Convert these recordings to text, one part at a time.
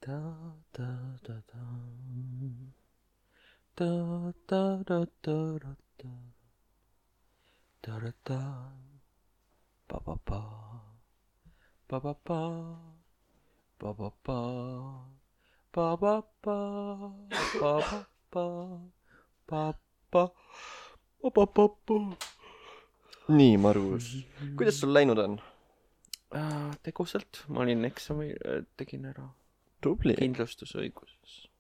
Da, da, da, da. Da, da, da, da, da, da. Da, da, da. Ba, ba, ba. Ba, ba, ba. Ba, ba, ba. Ba, ba, ba. Ba, ba, ba. Ba, ba. Ba, ba, ba, ba. Nii, Margus. Kuidas sul läinud on? Tegusalt. Ma olin eksami, tegin ära. Tubli. Kindlustusõiguses.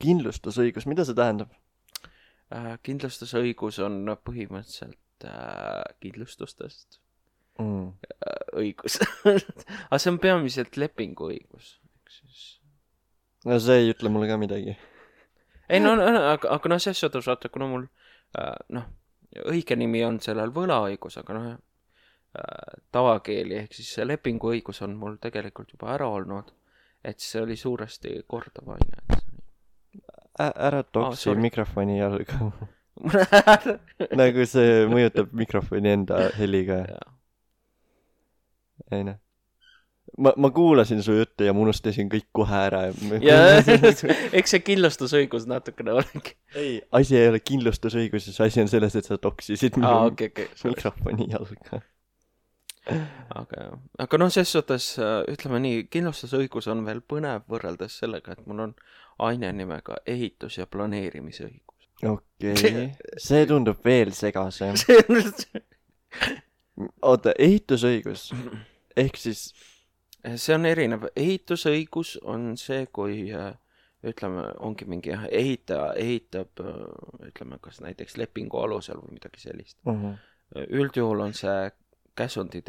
Kindlustusõigus, mida see tähendab? Kindlustusõigus on põhimõtteliselt kindlustustest õigus. Aga see on peamiselt lepinguõigus. No see ei ütle mulle ka midagi. Ei, no, aga no selles suhtes vaata, kuna mul õige nimi on sellel võlaõigus, aga tavakeeli ehk siis see lepinguõigus on mul tegelikult juba ära olnud, et see oli suuresti kordav aine. Ära toksi mikrofoni jalga. Nagu see mõjutab mikrofoni enda heliga. Ei noh. Ma kuulasin su juttu ja ma unustasin kõik kohe ära. Ja eks see kindlustusõigus natukene olegi. Ei, asi ei ole kindlustusõiguses, asi on selles, et sa toksisid mikrofoni jalga. Aga no ses suhtes, ütleme nii, kindlustusõigus on veel põnev võrreldes sellega, et mul on aine nimega ehitus- ja planeerimisõigus. Okei, see tundub veel segasem. Oota, ehitusõigus ehk siis see on erinev. Ehitusõigus on see, kui ütleme, ongi mingi ehitaja ehitab, ütleme, kas näiteks lepingu alusel või midagi sellist. Üldjuhul on see käsundi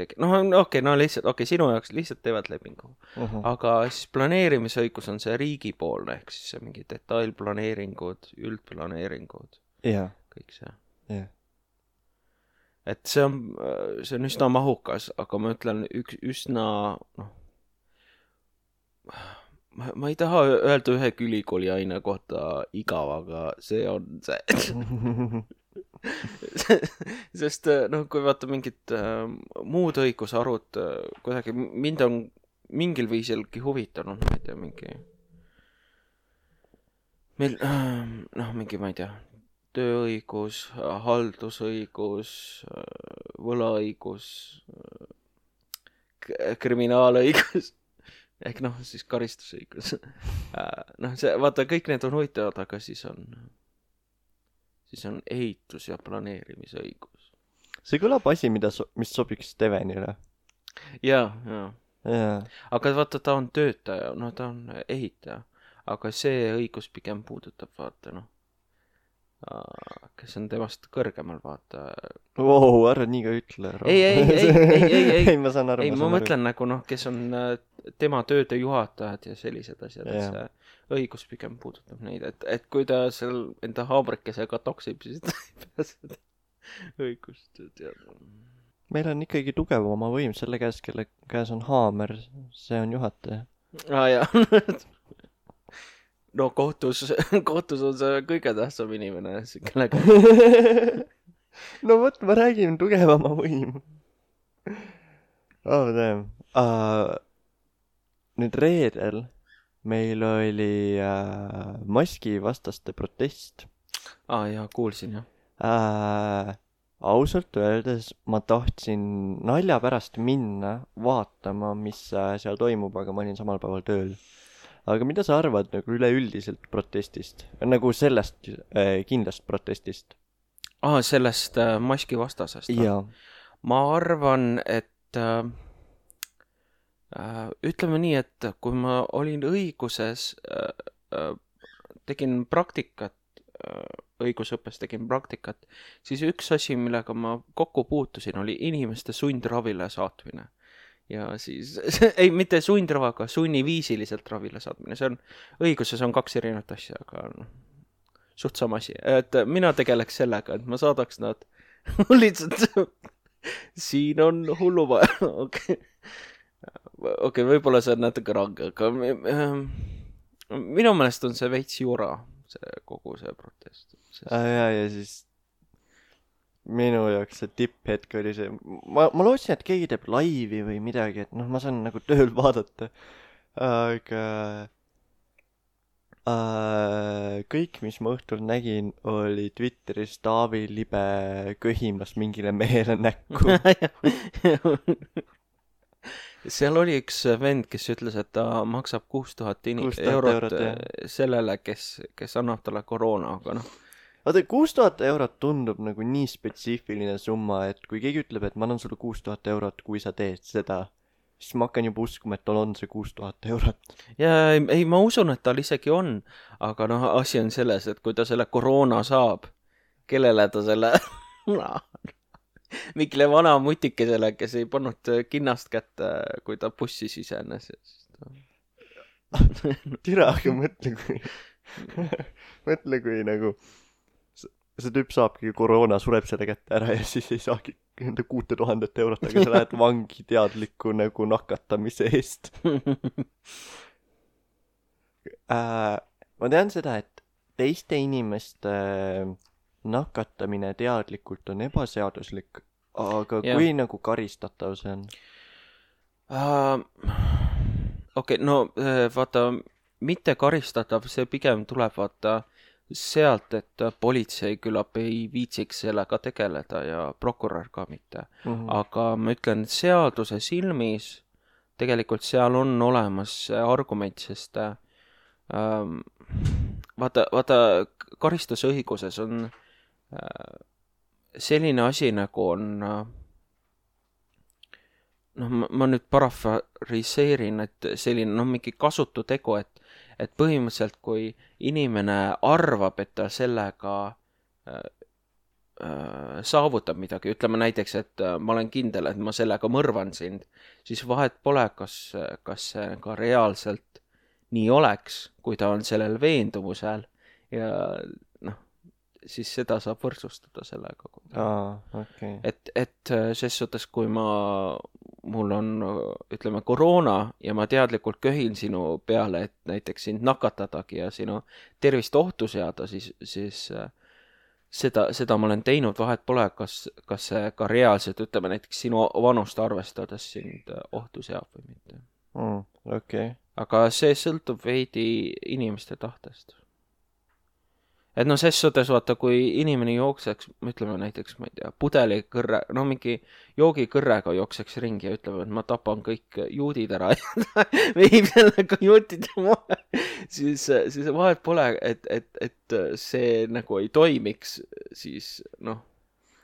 sinu jaoks lihtsalt teevad lepingu. Aga siis planeerimisõigus on see riigipoolne, ehk siis see mingi detailplaneeringud, üldplaneeringud, kõik see. Et see on üsna mahukas, aga ma ütlen üsna, ma ei taha öelda ühe ülikooli aine kohta igav, aga see on see. Sest kui vaata mingid muud õigusarud kuidagi mind on mingil viisilgi huvitanud, ma ei tea, mingi ma ei tea, tööõigus, haldusõigus, võlaõigus, kriminaalõigus ehk siis karistusõigus. Vaata, kõik need on huvitavad, aga siis on ehitus- ja planeerimisõigus. See kõlab asi, mis sobiks Stevenile. Jaa. Aga vaata, ta on töötaja, ta on ehitaja. Aga see õigus pigem puudutab, vaata, kes on temast kõrgemal, vaata. Wow, ära nii ka ütle. Ei, ma saan aru. Ei, ma mõtlen kes on tema tööde juhatajad ja sellised asjad, et see õigus pigem puudutab neid, et kui ta seal enda haamrikesega toksib, siis ta ei pea seda õigust teada. Meil on ikkagi tugevama võim selle käes, kelle käes on haamer, see on juhataja. Jaa. No kohtus on see kõige tähtsam inimene, kellega. No võt, ma räägin tugevama võim. Oh, damn. Nüüd reedel meil oli maskivastaste protest. Jaa, kuulsin, jah. Ausalt öeldes ma tahtsin nalja pärast minna vaatama, mis seal toimub, aga ma olin samal päeval tööl. Aga mida sa arvad nagu üleüldiselt protestist? Nagu sellest kindlast protestist? Sellest maskivastasest? Jaa. Ma arvan, et ütleme nii, et kui ma olin õiguses, tegin praktikat, õigusõppes tegin praktikat, siis üks asi, millega ma kokku puutusin, oli inimeste sundravile saatmine. Ja siis, ei, mitte sundravaga, sunniviisiliselt ravile saatmine. See on, õiguses on 2 erinevat asja, aga suht sama asi. Et mina tegeleks sellega, et ma saadaks nad lihtsalt, siin on hullu vaja. Okei, võib-olla see on natuke range, aga minu meelest on see veits jura, kogu see protest. Ja siis minu jaoks see tipphetk oli see, ma lootsin, et keegi teeb laivi või midagi, et ma saan nagu tööl vaadata, aga Kõik, mis ma õhtul nägin, oli Twitteris Taavi Libe köhimas mingile mehele näkku. seal oli üks vend, kes ütles, et ta maksab 6000 eurot sellele, kes annab talle koroona, aga noh. Vaata, 6000 eurot tundub nagu nii spetsiifiline summa, et kui keegi ütleb, et ma annan sulle 6000 eurot, kui sa teed seda, siis ma hakkan juba uskuma, et tal on see 6000 eurot. Ja ei, ma usun, et tal isegi on, aga noh, asi on selles, et kui ta selle koroona saab, kellele ta selle mingile vana mutikesele, kes ei pannud kinnast kätte, kui ta bussi sisenes. Tira, aga mõtle, kui nagu see tüüp saabki koroona, sureb selle kätte ära ja siis ei saagi enda 6000 eurot, aga sa lähed vangi teadliku nagu nakatamise eest. Ma tean seda, et teiste inimeste nakatamine teadlikult on ebaseaduslik, aga kui nagu karistatav see on? Okei, no vaata, mitte karistatav, see pigem tuleb vaata sealt, et politsei küllap ei viitsiks sellega tegeleda ja prokurör ka mitte. Aga ma ütlen, seaduse silmis tegelikult seal on olemas argument, sest vaata karistusõiguses on selline asi nagu on ma nüüd parafraseerin, et selline mingi kasutu tegu, et põhimõtteliselt kui inimene arvab, et ta sellega saavutab midagi, ütleme näiteks, et ma olen kindel, et ma sellega mõrvan sind, siis vahet pole, kas see ka reaalselt nii oleks, kui ta on sellel veendumusel ja siis seda saab võrdsustada sellega. Okay. Et ses suhtes, kui mul on, ütleme, koroona ja ma teadlikult köhin sinu peale, et näiteks sind nakatadagi ja sinu tervist ohtu seada, siis seda ma olen teinud, vahet pole, kas see ka reaalselt, ütleme näiteks sinu vanust arvestades sind ohtu seab või mitte. Okay. Aga see sõltub veidi inimeste tahtest. Et ses suhtes vaata, kui inimene jookseks, ütleme näiteks, ma ei tea, pudelikõrre, mingi joogikõrrega jookseks ringi ja ütleme, et ma tapan kõik juudid ära ja veib sellega juutid maha, siis vahet pole, et see nagu ei toimiks, siis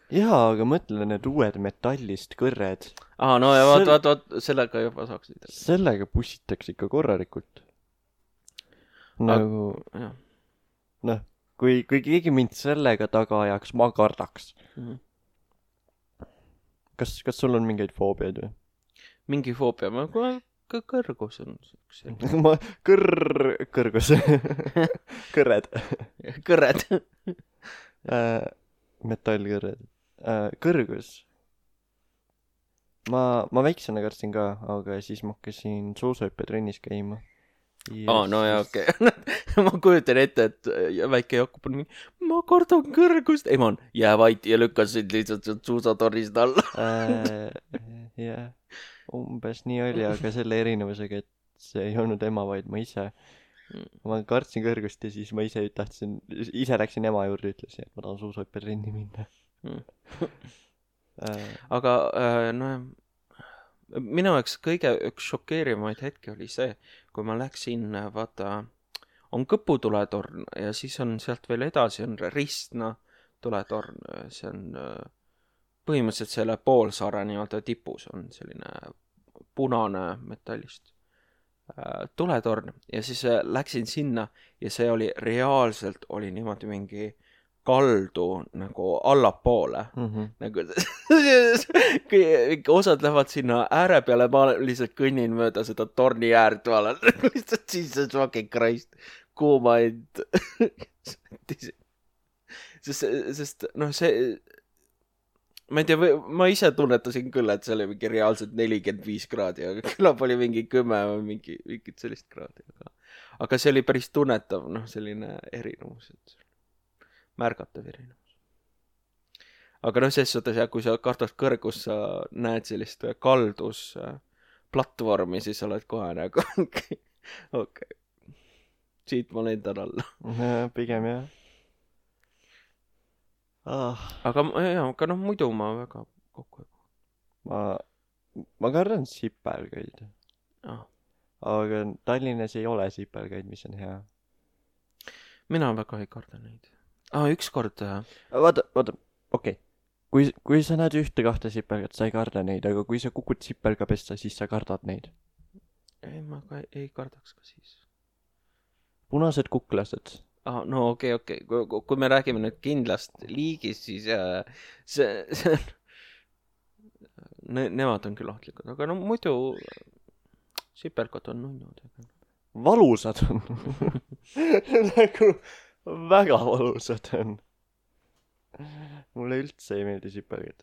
Jaa, aga mõtle need uued metallist kõrred. No ja vaat, sellega juba saaks. Sellega pussitakse ikka korralikult. Nagu, kui keegi mind sellega taga ajaks, ma kardaks. Kas sul on mingeid foobiaid või? Mingi foobia, kõrgus on kõrgus. Kõrred. Kõrred. Metallkõrred. Kõrgus. Ma väiksena kartsin ka, aga siis ma hakkasin suusahüppetrennis käima. No ja okei. Ma kujutan ette, et väike Jakob on ma kardan kõrgust. Ei, ma jää vait ja lükkasid lihtsalt suusatornist alla. Jah, umbes nii oli, aga selle erinevusega, et see ei olnud ema, vaid ma ise. Ma kartsin kõrgust ja siis ma ise läksin ema juurde, ütlesin, et ma tahan suusahüppetrenni minna. Aga minu jaoks kõige üks šokeerivaid hetki oli see, kui ma läksin, vaata, on Kõpu tuletorn ja siis on sealt veel edasi on Ristna tuletorn, see on põhimõtteliselt selle poolsaare nii-öelda tipus on selline punane metallist tuletorn ja siis läksin sinna ja see oli reaalselt oli niimoodi mingi kaldu nagu allapoole. Nagu osad lähevad sinna ääre peale, ma lihtsalt kõnnin mööda seda torni äärt, ma olen lihtsalt siis fucking Christ kuumaid. Sest see ma ei tea, ma ise tunnetasin küll, et see oli mingi reaalselt 45 kraadi, aga küllap oli mingi 10 või mingit sellist kraadi. Aga see oli päris tunnetav, selline erinevus, et märgatav erinevus. Aga ses suhtes, kui sa kardad kõrgus, sa näed sellist kaldus platvormi, siis oled kohe nagu okei. siit ma lendan alla. Pigem jah. Aga noh, muidu ma väga kokku ei ma kardan sipelgaid. puhu. Aga Tallinnas ei ole sipelgaid, mis on hea. Mina väga ei karda neid. Ükskord... Vaata, okei. Kui sa näed 1-2 sipelgat, sa ei karda neid, aga kui sa kukud sipelga pesta, siis sa kardad neid. Ei, ma ka ei kardaks ka siis. Punased kuklased. No okei. Kui me räägime nüüd kindlast liigist, siis see nemad on küll ohtlikud, aga no muidu sipelgad on nunnud. Valusad on. Nagu väga valusad on. Mulle üldse ei meeldi sipelgad.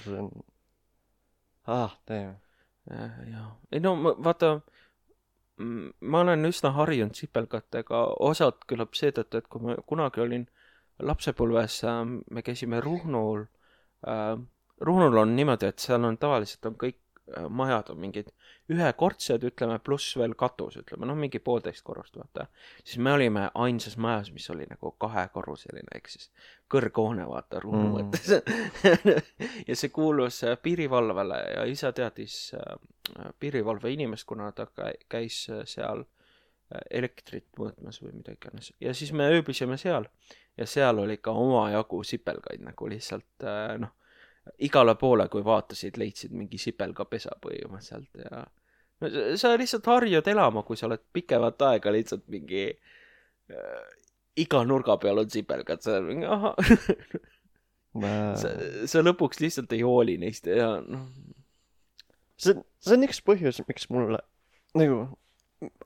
See on... teeme. Jaa. Ei no vaata, ma olen üsna harjunud sipelgatega, osad küllap seetõttu, et kui ma kunagi olin lapsepõlves, me käisime Ruhnul. Ruhnul on niimoodi, et seal on tavaliselt on kõik majad on mingid ühekordsed, ütleme, pluss veel katus, ütleme, no mingi 1,5 korrust, vaata. Siis me olime ainsas majas, mis oli nagu 2-korruseline, ehk siis kõrghoone, vaata, Ruhnu mõttes. Ja see kuulus piirivalvele ja isa teadis piirivalve inimest, kuna ta käis seal elektrit mõõtmas või midagi iganes. Ja siis me ööbisime seal ja seal oli ka omajagu sipelgaid nagu lihtsalt, igale poole, kui vaatasid, leidsid mingi sipelgapesa põhimõtteliselt ja no, sa lihtsalt harjud elama, kui sa oled pikemat aega lihtsalt mingi iga nurga peal on sipelgad, sa lõpuks lihtsalt ei hooli neist ja noh. See on üks põhjus, miks mulle nagu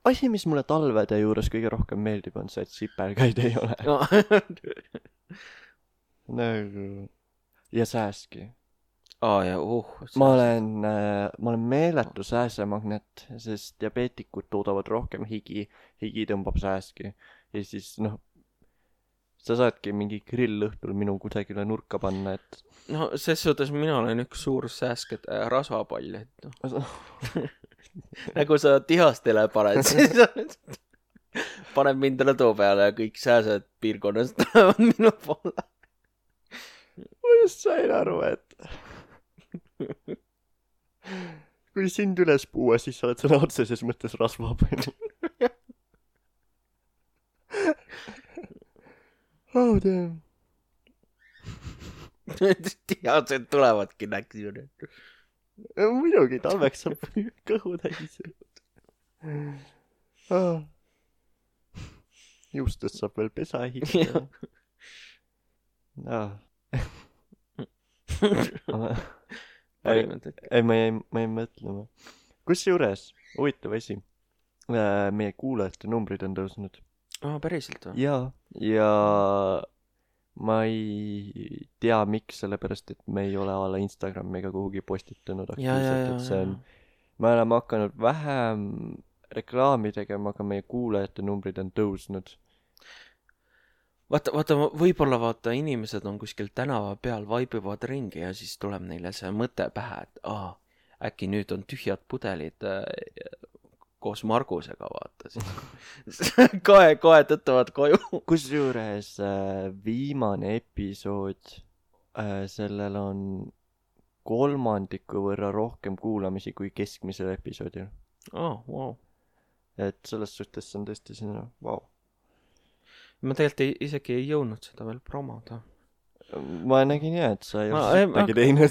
asi, mis mulle talvede juures kõige rohkem meeldib, on see, et sipelgaid ei ole. Nagu ja sääski. Ma olen meeletu sääsemagnet, sest diabeetikud toodavad rohkem higi tõmbab sääski. Ja siis, sa saadki mingi grill õhtul minu kusagile nurka panna, et... No, ses suhtes mina olen üks suur sääskede rasvapall, et nagu sa tihastele paned, siis paned mindele too peale ja kõik sääsed piirkonnast tulevad minu poole. Ma just sain aru, et kui sind üles puua, siis sa oled sõna otseses mõttes rasvapall. Oh, damn. Tihased tulevadki näksi ju nüüd. Muidugi, talveks saab kõhu täis. Juustest saab veel pesa ehitada. Ei, ma jäin mõtlema. Kusjuures, huvitav asi, meie kuulajate numbrid on tõusnud. Päriselt või? Ja ma ei tea, miks, sellepärast, et me ei ole ala Instagrami ega kuhugi postitanud aktiivselt, et see on... Me oleme hakanud vähem reklaami tegema, aga meie kuulajate numbrid on tõusnud. Vaata, võib-olla inimesed on kuskil tänava peal, vaibivad ringi ja siis tuleb neile see mõte pähe, et äkki nüüd on tühjad pudelid koos Margusega, vaata siis. Kohe tõttavad koju. Kusjuures viimane episood, sellel on 3% võrra rohkem kuulamisi kui keskmisel episoodil. Wow. Et selles suhtes on tõesti sinna, wow. Ma tegelikult isegi ei jõudnud seda veel promoda. Ma nägin et sa ei ole midagi teinud.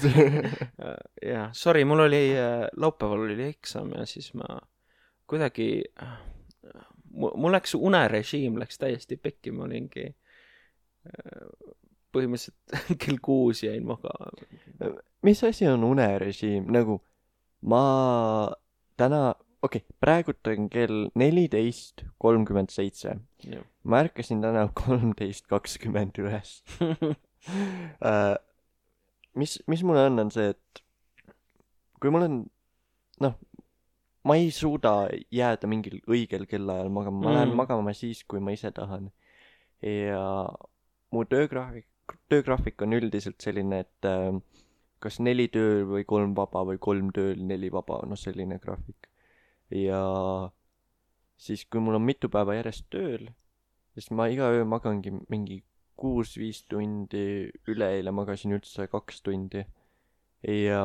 Jah, sorry, mul oli laupäeval oli eksam ja siis ma kuidagi, mul läks unerežiim läks täiesti pekki, ma olingi põhimõtteliselt kell 6 jäin maga. Mis asi on unerežiim? Nagu ma täna, praegult on kell 14:37. Ma ärkasin täna 13:20 üles. Mis mulle on see, et kui mul on, ma ei suuda jääda mingil õigel kellaajal magama, ma lähen magama siis, kui ma ise tahan. Ja mu töögraafik on üldiselt selline, et kas 4 tööl või 3 vaba või 3 tööl, 4 vaba, selline graafik. Ja siis kui mul on mitu päeva järjest tööl, siis ma iga öö magangi mingi 6-5 tundi, üleeile magasin üldse 2 tundi. Ja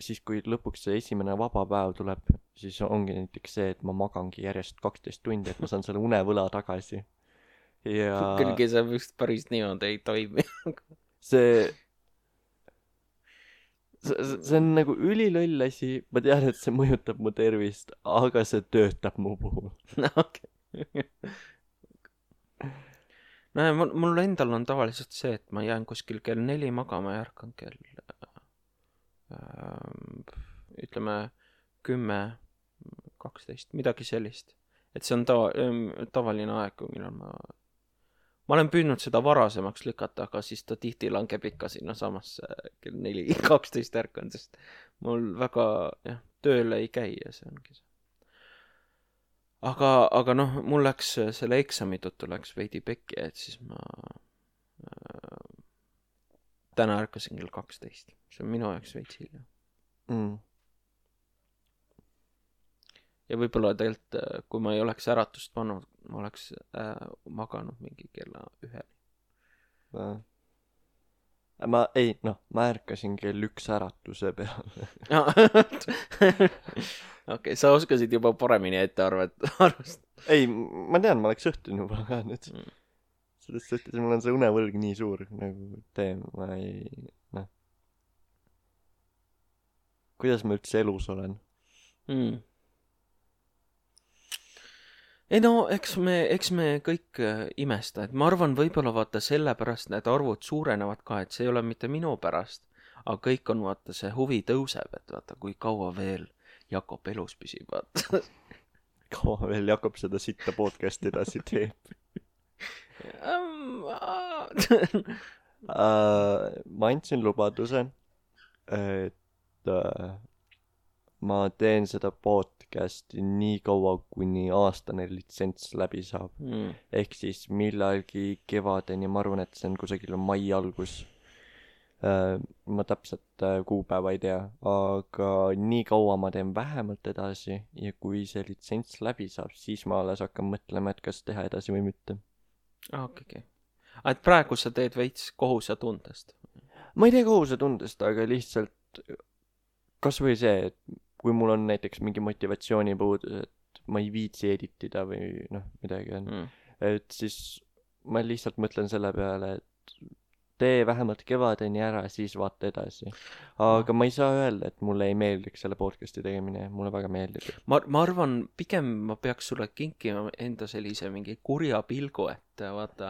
siis, kui lõpuks see esimene vaba päev tuleb, siis ongi näiteks see, et ma magangi järjest 12 tundi, et ma saan selle unevõla tagasi. Ja Kuigi see vist päris niimoodi ei toimi. see on nagu üliloll asi, ma tean, et see mõjutab mu tervist, aga see töötab mu puhul. Okei. No ja mul endal on tavaliselt see, et ma jään kuskil kell 4 magama ja ärkan kell ütleme 10, 12, midagi sellist. Et see on tavaline aeg, millal ma olen püüdnud seda varasemaks lükata, aga siis ta tihti langeb ikka sinna samasse kell 4:12 ärkan, sest mul väga tööle ei käi ja see ongi see. Aga noh, mul läks selle eksami tõttu läks veidi pekki, et siis ma täna ärkasin kell 12. See on minu jaoks veits hilja. Ja võib-olla tegelikult, kui ma ei oleks äratust pannud, ma oleks maganud mingi kella 1. Ma ärkasin kell 1 äratuse peale. Okei, sa oskasid juba paremini ette arvata. Ei, ma tean, ma oleks õhtun juba ka nüüd. Selles suhtes mul on see unevõlg nii suur, nagu ma ei, kuidas ma üldse elus olen? Ei no, eks me kõik imesta, et ma arvan, võib-olla vaata sellepärast need arvud suurenevad ka, et see ei ole mitte minu pärast, aga kõik on vaata, see huvi tõuseb, et vaata, kui kaua veel Jakob elus püsib, vaata. Kaua veel Jakob seda sitta podcasti edasi teeb? Ma andsin lubaduse, et ma teen seda podcasti nii kaua, kuni aastane litsents läbi saab. Ehk siis millalgi kevadeni, ma arvan, et see on kusagil mai algus. Ma täpselt kuupäeva ei tea, aga nii kaua ma teen vähemalt edasi ja kui see litsents läbi saab, siis ma alles hakkan mõtlema, et kas teha edasi või mitte. Okei. Et praegu sa teed veits kohusetundest? Ma ei tee kohusetundest, aga lihtsalt kas või see, et kui mul on näiteks mingi motivatsioonipuudus, et ma ei viitsi editida või midagi on, et siis ma lihtsalt mõtlen selle peale, et tee vähemalt kevadeni ära, siis vaata edasi. Aga ma ei saa öelda, et mulle ei meeldiks selle podcasti tegemine, mulle väga meeldib. Ma arvan, pigem ma peaks sulle kinkima enda sellise mingi kurja pilgu, et vaata,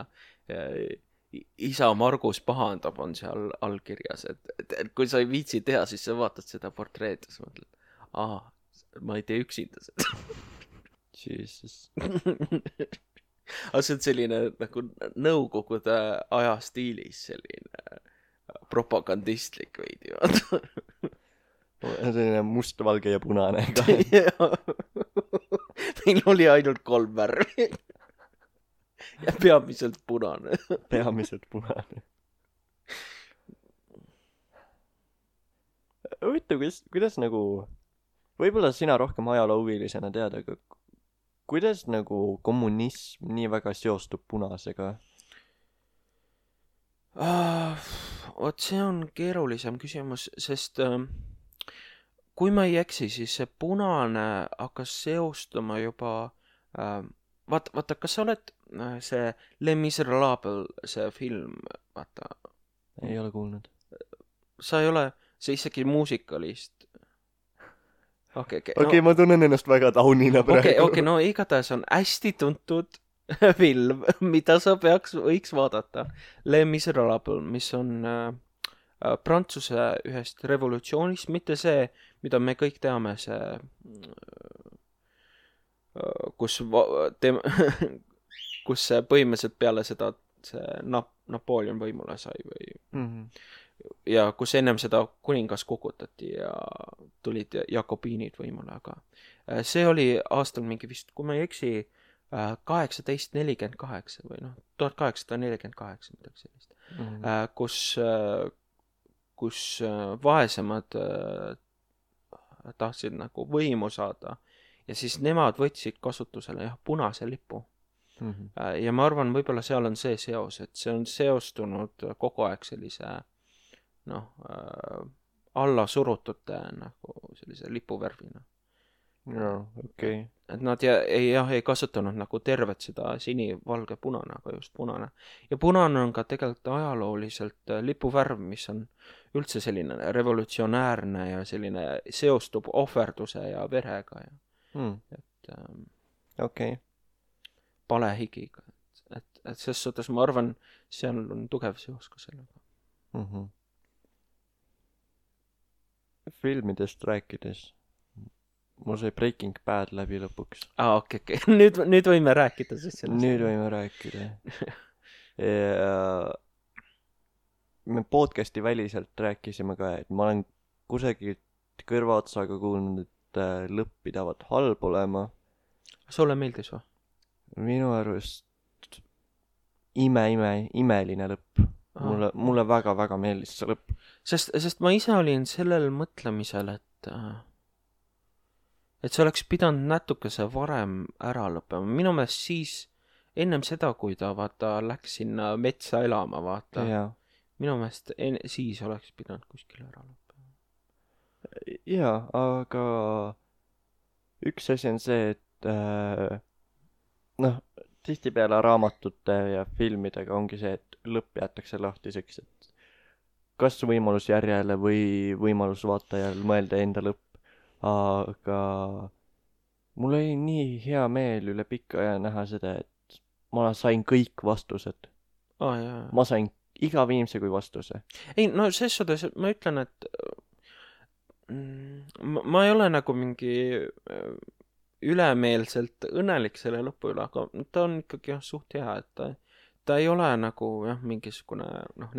isa Margus pahandab on seal allkirjas, et kui sa ei viitsi teha, siis sa vaatad seda portreed ja sa mõtled, ma ei tee üksinda seda. Jesus. Aga see on selline nagu nõukogude aja stiilis selline propagandistlik veidi, vaata. Selline must, valge ja punane ka. Meil oli ainult 3 värvi. Ja peamiselt punane. Peamiselt punane. Huvitav, kuidas nagu, võib-olla sina rohkem ajaloohuvilisena tead, aga kuidas nagu kommunism nii väga seostub punasega? Oot, see on keerulisem küsimus, sest kui ma ei eksi, siis see punane hakkas seostuma juba vaata, kas sa oled see Les Miserables, see film, vaata. Ei ole kuulnud. Sa ei ole, see isegi muusikalist. Okei, ma tunnen ennast väga taunina praegu. Okei, no igatahes on hästi tuntud film, mida sa võiks vaadata. Les Miserables, mis on Prantsuse ühest revolutsioonist, mitte see, mida me kõik teame, see kus põhimõtteliselt peale seda see Napoleon võimule sai või ja kus ennem seda kuningas kukutati ja tulid jakobiinid võimule, aga see oli aastal mingi vist, kui ma ei eksi, 1848 või 1848 midagi sellist, kus vaesemad tahtsid nagu võimu saada ja siis nemad võtsid kasutusele jah, punase lipu. Mhm. Ja ma arvan, võib-olla seal on see seos, et see on seostunud kogu aeg sellise noh, alla surutute nagu sellise lipuvärvina. Jaa, okei. Et nad ei kasutanud nagu tervet seda sini, valge, punane, aga just punane. Ja punane on ka tegelikult ajalooliselt lipuvärv, mis on üldse selline revolutsionäärne ja selline seostub ohverduse ja verega ja et Okei. palehigiga. Et selles suhtes ma arvan, seal on tugev seos ka sellega. Mhm. Filmidest rääkides, mul sai Breaking Bad läbi lõpuks. Okei. Nüüd võime rääkida siis sellest. Nüüd võime rääkida. Ja me podcasti väliselt rääkisime ka, et ma olen kusagilt kõrvaotsaga kuulnud, et lõpp pidavat halb olema. Sulle meeldis või? Minu arust imeline lõpp. Mulle väga-väga meeldis see lõpp. Sest ma ise olin sellel mõtlemisel, et see oleks pidanud natukese varem ära lõppema. Minu meelest siis, ennem seda, kui ta läks sinna metsa elama, minu meelest siis oleks pidanud kuskil ära lõppema. Jaa, aga üks asi on see, et tihtipeale raamatute ja filmidega ongi see, et lõpp jäetakse lahtiseks, et kas võimalus järjele või võimalus vaatajal mõelda enda lõpp. Aga mul oli nii hea meel üle pikka aja näha seda, et ma sain kõik vastused. Ma sain iga viimse kui vastuse. Ei, no selles suhtes ma ütlen, et ma ei ole nagu mingi ülemeelselt õnnelik selle lõpu üle, aga ta on ikkagi suht hea, et ta ei ole nagu mingisugune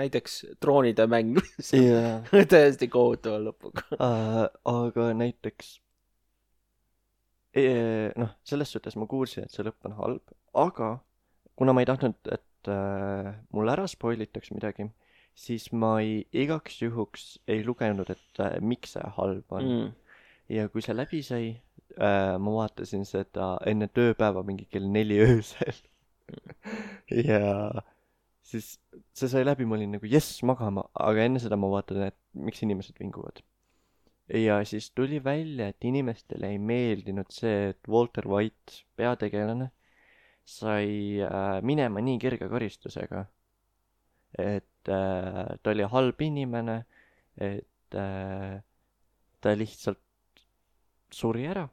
näiteks Troonide mäng täiesti kohutava lõpuga. Aga näiteks selles suhtes ma kuulsin, et see lõpp on halb, aga kuna ma ei tahtnud, et mul ära spoilitaks midagi, siis ma igaks juhuks ei lugenud, et miks see halb on. Ja kui see läbi sai, ma vaatasin seda enne tööpäeva mingi kell 4 öösel. Ja siis see sai läbi, ma olin nagu jess magama, aga enne seda ma vaatan, et miks inimesed vinguvad. Ja siis tuli välja, et inimestele ei meeldinud see, et Walter White, peategelane, sai minema nii kerge karistusega. Et ta oli halb inimene, et ta lihtsalt suri ära.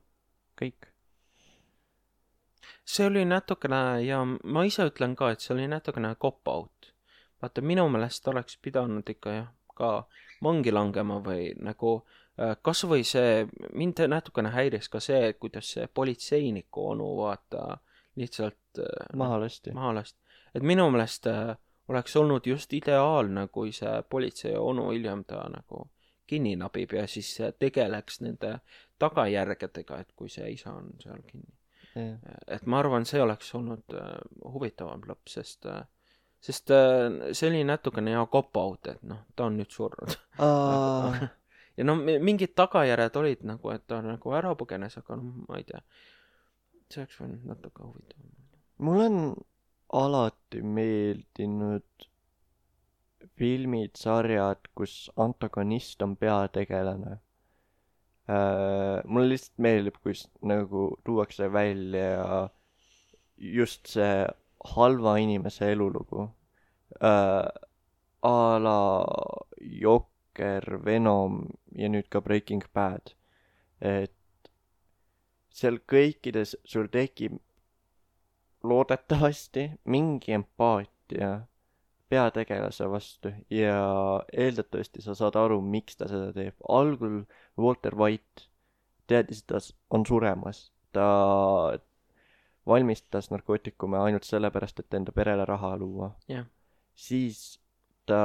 Kõik. See oli natukene, ja ma ise ütlen ka, et see oli natukene cop-out. Vaata, minu meelest oleks pidanud ikka ka vangi langema või nagu kas või see, mind natukene häiris ka see, kuidas see politseiniku onu lihtsalt maha lasti. Et minu meelest oleks olnud just ideaalne, kui see politsei onu hiljem ta nagu kinni nabib ja siis tegeleks nende tagajärgedega, et kui see isa on seal kinni. Et ma arvan, see oleks olnud huvitavam lõpp, sest see oli natukene cop-out, et ta on nüüd surnud. Ja mingid tagajärjed olid nagu, et ta nagu ära põgenes, aga ma ei tea. See oleks võinud natuke huvitavam. Mul on alati meeldinud filmid, sarjad, kus antagonist on peategelane. Mulle lihtsalt meeldib, kus nagu tuuakse välja just see halva inimese elulugu. A la Jokker, Venom ja nüüd ka Breaking Bad. Et seal kõikides sul tekib loodetavasti mingi empaatia peategelase vastu ja eeldatavasti sa saad aru, miks ta seda teeb. Algul Walter White teadis, et ta on suremas. Ta valmistas narkootikume ainult sellepärast, et enda perele raha luua. Siis ta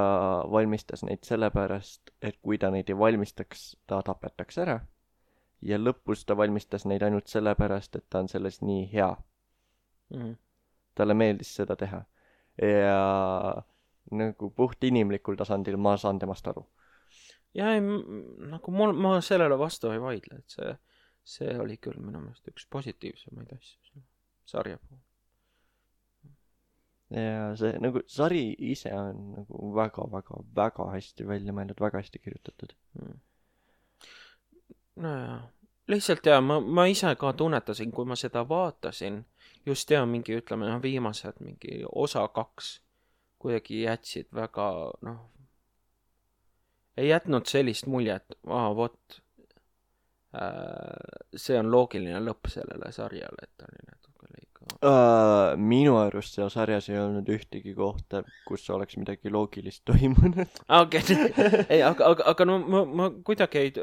valmistas neid sellepärast, et kui ta neid ei valmistaks, ta tapetaks ära. Ja lõpus ta valmistas neid ainult sellepärast, et ta on selles nii hea. Talle meeldis seda teha. Ja nagu puht inimlikul tasandil ma saan temast aru. Ja nagu ma sellele vastu ei vaidle, et see oli küll minu meelest üks positiivsemaid asju selle sarja puhul. ja see nagu sari ise on nagu väga hästi välja mõeldud, väga hästi kirjutatud. Nojah, lihtsalt jaa, ma ise ka tunnetasin, kui ma seda vaatasin, just mingi, ütleme, viimased mingi osa 2 kuidagi jätsid väga, ei jätnud sellist muljet, vot, see on loogiline lõpp sellele sarjale, et ta oli natuke liiga. Minu arust seal sarjas ei olnud ühtegi kohta, kus oleks midagi loogilist toimunud. Okei, ei, aga no ma kuidagi ei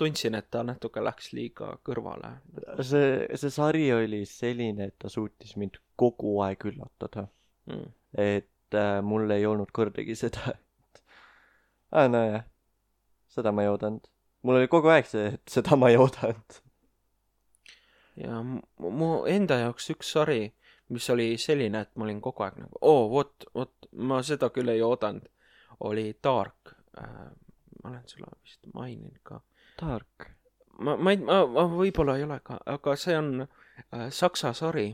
tundsin, et ta natuke läks liiga kõrvale. See sari oli selline, et ta suutis mind kogu aeg üllatada. Et mul ei olnud kordagi seda, et nojah, seda ma ei oodanud. Mul oli kogu aeg see, et seda ma ei oodanud. Ja mu enda jaoks üks sari, mis oli selline, et ma olin kogu aeg nagu, vot, ma seda küll ei oodanud, oli Dark. Ma olen sulle vist maininud ka. Dark? Ma võib-olla ei ole ka, aga see on saksa sari.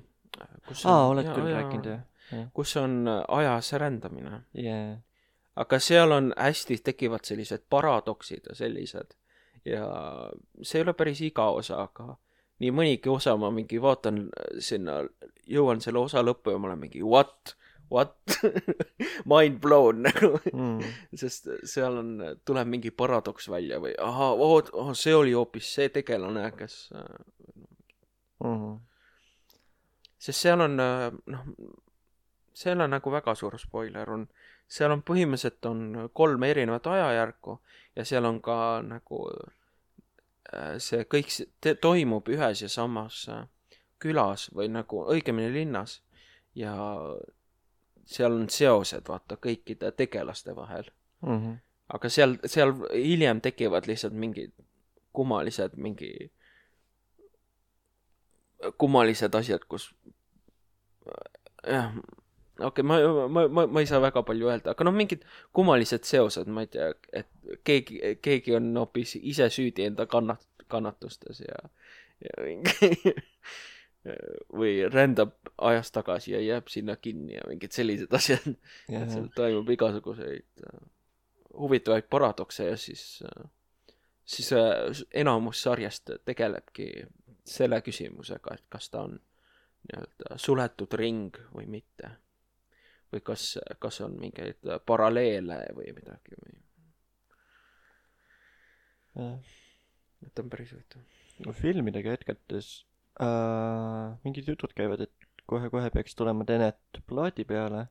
Oled küll rääkinud, jah. Kus on ajas rändamine. Yeah. Aga seal on hästi, tekivad sellised paradoksid ja sellised. Ja see ei ole päris iga osa, aga nii mõnigi osa ma mingi vaatan sinna, jõuan selle osa lõppu ja ma olen mingi what? Mind blown nagu. Sest seal tuleb mingi paradoks välja või see oli hoopis see tegelane, kes sest seal on seal on nagu väga suur spoiler seal on põhimõtteliselt on 3 erinevat ajajärku ja seal on ka nagu see kõik toimub ühes ja samas külas või nagu õigemini linnas ja seal on seosed, vaata, kõikide tegelaste vahel. Aga seal hiljem tekivad lihtsalt mingid kummalised asjad, kus ma ei saa väga palju öelda, aga mingid kummalised seosed, ma ei tea, et keegi on hoopis ise süüdi enda kannatustes ja või rändab ajas tagasi ja jääb sinna kinni ja mingid sellised asjad. Et seal toimub igasuguseid huvitavaid paradokse ja siis enamus sarjast tegelebki selle küsimusega, et kas ta on nii-öelda suletud ring või mitte. Või kas on mingeid paralleele või midagi või. Et on päris huvitav. Filmidega hetkates mingid jutud käivad, et kohe peaks tulema Tenet plaadi peale,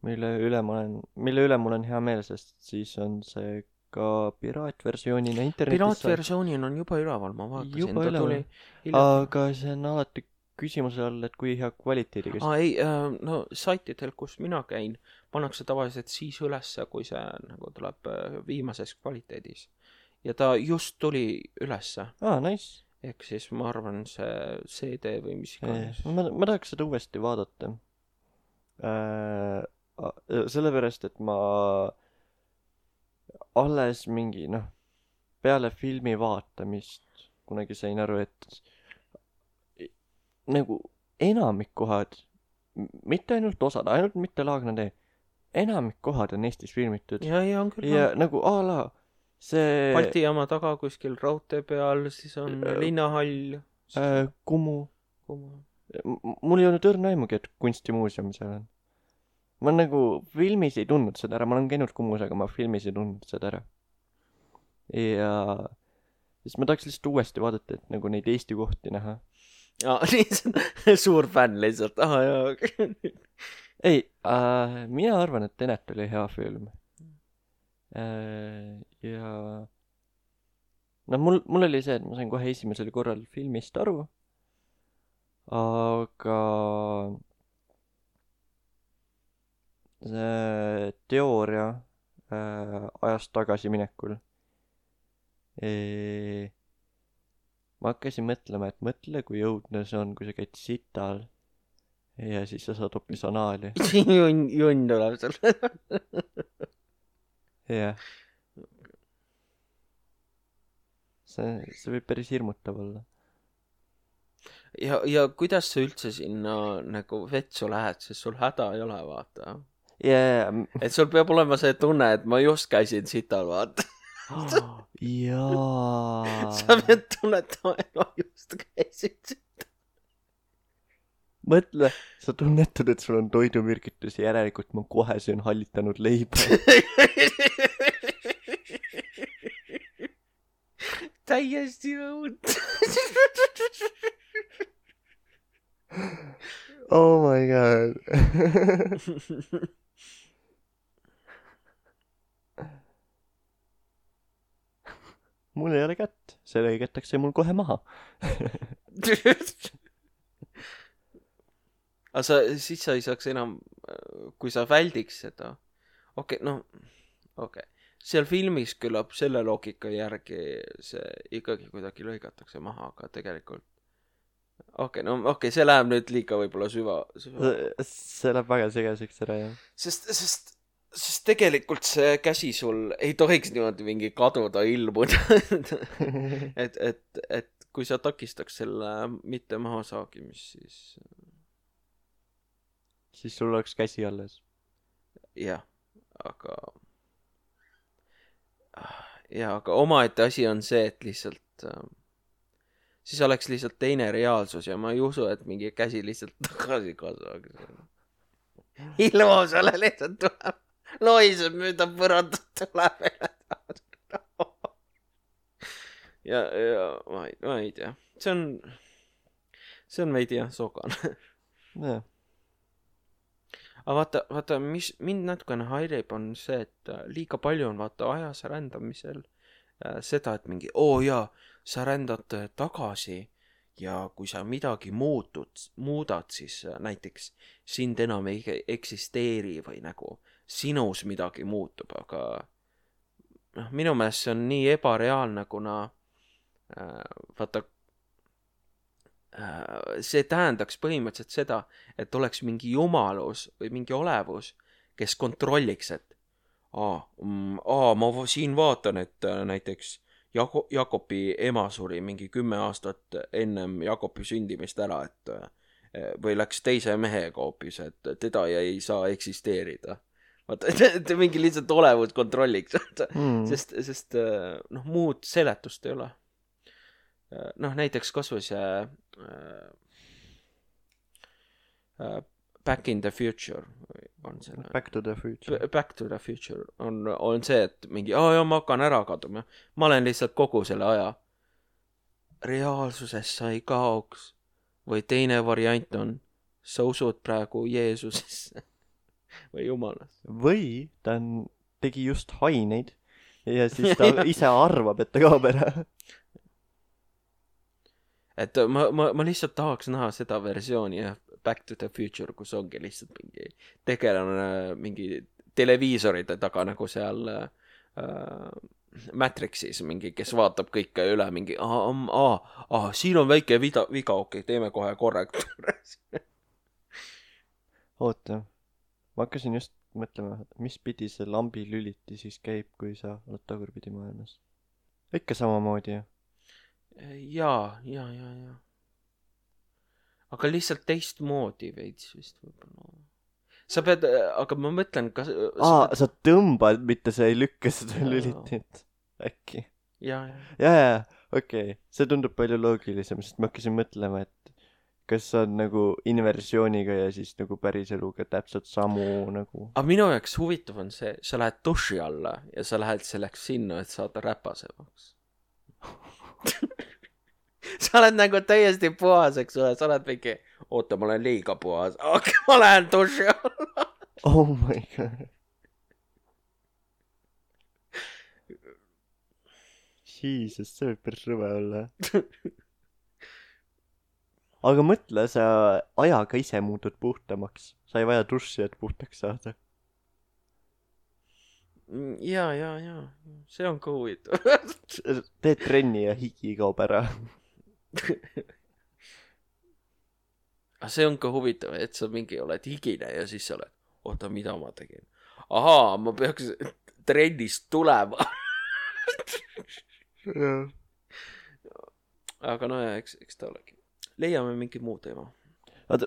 mille üle mul on hea meel, sest siis on see ka piraatversioonina internetis. Piraatversioonina on juba üleval, ma vaatasin. Juba üleval. Aga see on alati küsimuse all, et kui hea kvaliteediga. Ei, no saitidel, kus mina käin, pannakse tavaliselt siis ülesse, kui see nagu tuleb viimases kvaliteedis. Ja ta just tuli ülesse. Nice. Ehk siis ma arvan see CD või mis iganes. Ma tahaks seda uuesti vaadata. Sellepärast, et ma alles mingi, peale filmi vaatamist kunagi sain aru, et nagu enamik kohad, mitte ainult osad, ainult mitte Laagna tee, enamik kohad on Eestis filmitud. Ja on küll. Ja nagu see Balti jaama taga kuskil raudtee peal, siis on linnahall. Kumu. Mul ei olnud õrna aimugi, et kunstimuuseum seal on. Ma nagu filmis ei tundnud seda ära, ma olen käinud Kumus, aga ma filmis ei tundnud seda ära. Ja siis ma tahaks lihtsalt uuesti vaadata, et nagu neid Eesti kohti näha. Suur fänn lihtsalt. Ei, mina arvan, et Tenet oli hea film. Ja mul oli see, et ma sain kohe esimesel korral filmist aru, aga see teooria ajast tagasi minekul ma hakkasin mõtlema, et mõtle, kui õudne see on, kui sa käid sital ja siis sa saad hoopis anaali. Junn tuleb seal. Jah. See võib päris hirmutav olla. ja kuidas sa üldse sinna nagu vetsu lähed, sest sul häda ei ole, vaata. Et sul peab olema see tunne, et ma just käisin sital, vaata. jaa. Sa pead tunnetama, et ma just käisin sital. Mõtle, sa tunnetad, et sul on toidumürgitus ja järelikult ma kohe söön hallitanud leiba. Täiesti õud. Oh my god. Mul ei ole kätt, see lõigatakse mul kohe maha. Aga siis sa ei saaks enam, kui sa väldiks seda. Okei. Seal filmis küllap selle loogika järgi see ikkagi kuidagi lõigatakse maha, aga tegelikult see läheb nüüd liiga võib-olla süva. See läheb väga segaseks ära, jah. Sest tegelikult see käsi sul ei tohiks niimoodi mingi kaduda, ilmuda. et kui sa takistaks selle mitte maha saagimist, siis sul oleks käsi alles. Jah, aga omaette asi on see, et lihtsalt siis oleks lihtsalt teine reaalsus ja ma ei usu, et mingi käsi lihtsalt tagasi kasvaks. Ilma sulle lihtsalt tuleb, loiseb mööda põrandat tuleb. ja ma ei tea. See on veidi jah, sogane. Jah. Aga vaata, mis mind natukene häirib, on see, et liiga palju on vaata ajas rändamisel seda, et mingi, sa rändad tagasi ja kui sa midagi muudad, siis näiteks sind enam ei eksisteeri või nagu sinus midagi muutub, aga minu meelest see on nii ebareaalne, kuna vaata, see tähendaks põhimõtteliselt seda, et oleks mingi jumalus või mingi olevus, kes kontrolliks, et ma siin vaatan, et näiteks Jakobi ema suri mingi 10 aastat ennem Jakobi sündimist ära, või läks teise mehega hoopis, et teda ei saa eksisteerida. Vaata, et mingi lihtsalt olevus kontrolliks, sest muud seletust ei ole. Näiteks kasvõi see Back in the Future on selle. Back to the Future. Back to the Future on see, et mingi, ma hakkan ära kaduma. Ma olen lihtsalt kogu selle aja. Reaalsuses sa ei kaoks. Või teine variant on, sa usud praegu Jeesusesse või Jumalasse. Või ta tegi just haineid ja siis ta ise arvab, et ta kaob ära. Et ma lihtsalt tahaks näha seda versiooni, jah, Back to the Future, kus ongi lihtsalt mingi tegelane mingi televiisorite taga nagu seal Matrixis mingi, kes vaatab kõike üle mingi, siin on väike viga, okei, teeme kohe korrektuure. Oota, ma hakkasin just mõtlema, mis pidi see lambi lüliti siis käib, kui sa oled tagurpidi maailmas. Ikka samamoodi, jah? Jaa. Aga lihtsalt teistmoodi veits vist võib-olla. Sa pead, aga ma mõtlen, kas... sa tõmbad, mitte sa ei lükka seda lülitit. Äkki. Jaa. Okei. See tundub palju loogilisem, sest ma hakkasin mõtlema, et kas on nagu inversiooniga ja siis nagu päris eluga täpselt samu nagu... Aga minu jaoks huvitav on see, sa lähed duši alla ja sa lähed selleks sinna, et saada räpasemaks. Sa oled nagu täiesti puhas, eks ole, sa oled mingi, oota, ma olen liiga puhas, aga ma lähen duši alla. Oh my god. Jesus, see võib päris rõve olla. Aga mõtle, sa ajaga ise muutud puhtamaks. Sa ei vaja duši, et puhtaks saada. Jaa. See on ka huvitav. Teed trenni ja higi kaob ära. See on ka huvitav, et sa mingi oled higine ja siis sa oled, oota, mida ma tegin? Ahaa, ma peaks trennist tulema. Aga no ja, eks ta olegi. leiame mingi muu teema. Vaata,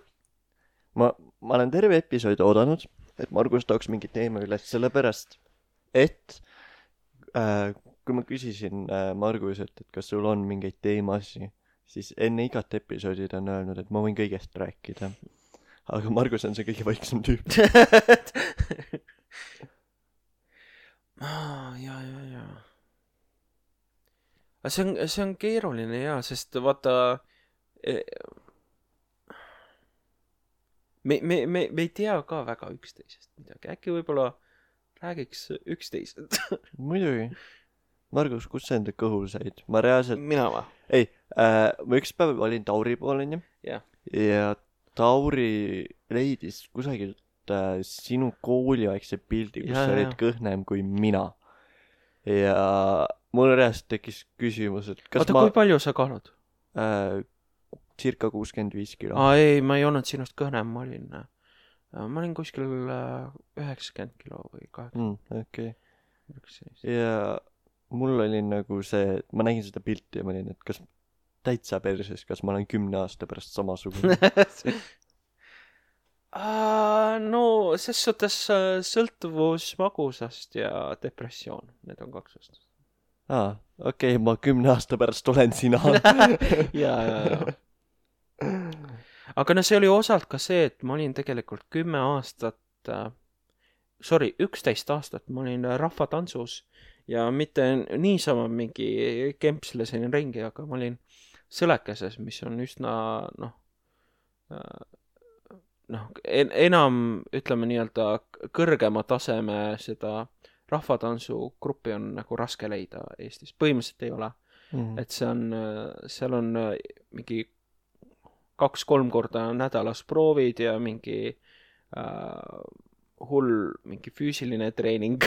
ma olen terve episoodi oodanud, et Margus tooks mingi teema üles, sellepärast, et kui ma küsisin Marguselt, et kas sul on mingeid teemasi, siis enne igat episoodi ta on öelnud, et ma võin kõigest rääkida. Aga Margus on see kõige vaiksem tüüp. ja. See on keeruline ja, sest vaata me ei tea ka väga üksteisest midagi. Äkki võib-olla räägiks üksteisest. Muidugi. Margus, kus sa enda kõhul said? Ma reaalselt... Mina va? Ei, ma üks päev olin Tauri pool, onju. Ja Tauri leidis kusagilt sinu kooliaegse pildi, kus sa olid kõhnem kui mina. Ja mul reaalselt tekkis küsimus, et kas kui palju sa kaalud? Circa 65 kilo. Ei, ma ei olnud sinust kõhnem, ma olin kuskil 90 kilo või 80. Okei. Ja mul oli nagu see, ma nägin seda pilti ja ma olin, et kas täitsa perses, kas ma olen 10 aasta pärast samasugune? No, ses suhtes sõltuvus magusast ja depressioon. Need on 2 aastast. Okei, ma 10 aasta pärast olen sina. ja. Aga no see oli osalt ka see, et ma olin tegelikult 10 aastat, 11 aastat ma olin rahvatantsus ja mitte niisama mingi kempslesin ringi, aga ma olin Sõlekeses, mis on üsna, enam, ütleme nii-öelda kõrgema taseme seda rahvatantsugruppi on nagu raske leida Eestis. Põhimõtteliselt ei ole. Et seal on mingi 2-3 korda nädalas proovid ja mingi hull mingi füüsiline treening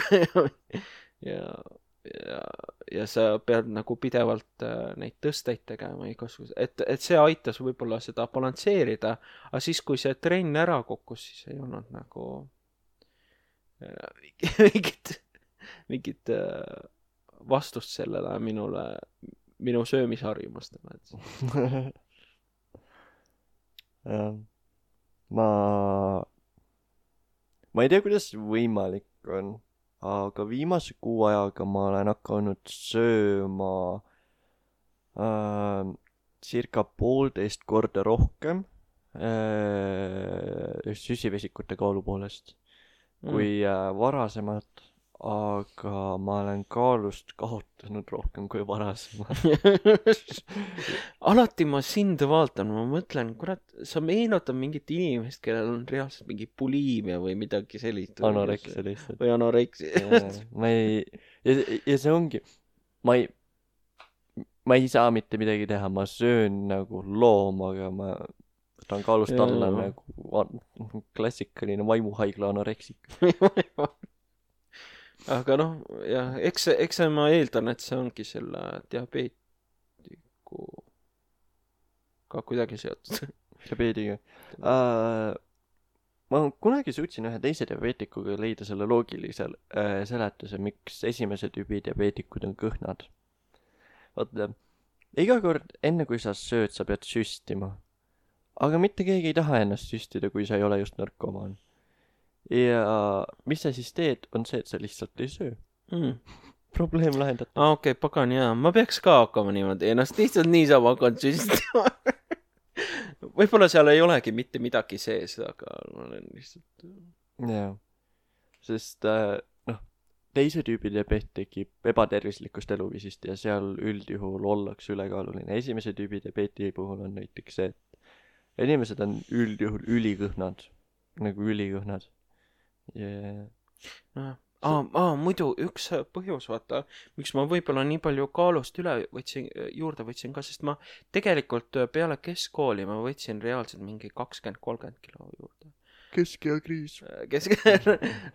ja sa pead nagu pidevalt neid tõsteid tegema igasuguse, et see aitas võib-olla seda balansseerida, aga siis kui see trenn ära kukkus, siis ei olnud nagu mingit vastust sellele minu söömisharjumustele. Ma ei tea, kuidas võimalik on, aga viimase kuu ajaga ma olen hakanud sööma circa 1,5 korda rohkem süsivesikute kaalu poolest kui varasemalt, aga ma olen kaalust kaotanud rohkem kui varasemalt. Alati ma sind vaatan, ma mõtlen, kurat, sa meenutad mingit inimest, kellel on reaalselt mingi bulimia või midagi sellist. Anoreksia lihtsalt. Või anoreksia. Ja see ongi, ma ei saa mitte midagi teha, ma söön nagu loom, aga ma võtan kaalust alla nagu klassikaline vaimuhaigla anoreksik. Aga jah, eks ma eeldan, et see ongi selle diabeetiku ka kuidagi seotud. Diabeediga. Ma kunagi suutsin ühe teise diabeetikuga leida selle loogilise seletuse, miks esimese tüübi diabeetikud on kõhnad. Vaata, iga kord enne kui sa sööd, sa pead süstima. Aga mitte keegi ei taha ennast süstida, kui sa ei ole just narkomaan. Ja mis sa siis teed, on see, et sa lihtsalt ei söö. Probleem lahendatud. Okei, pagan, jaa. Ma peaks ka hakkama niimoodi. Ennast lihtsalt niisama hakkan süstima. Võib-olla seal ei olegi mitte midagi sees, aga ma olen lihtsalt... Jaa. Sest, teise tüübi diabeet tekib ebatervislikust eluviisist ja seal üldjuhul ollakse ülekaaluline. Esimese tüübi diabeeti puhul on näiteks see, et inimesed on üldjuhul ülikõhnad. Nagu ülikõhnad. Muidu üks põhjus, vaata, miks ma võib-olla nii palju kaalust juurde võtsin ka, sest ma tegelikult peale keskkooli ma võtsin reaalselt mingi 20-30 kilo juurde. Keskeakriis.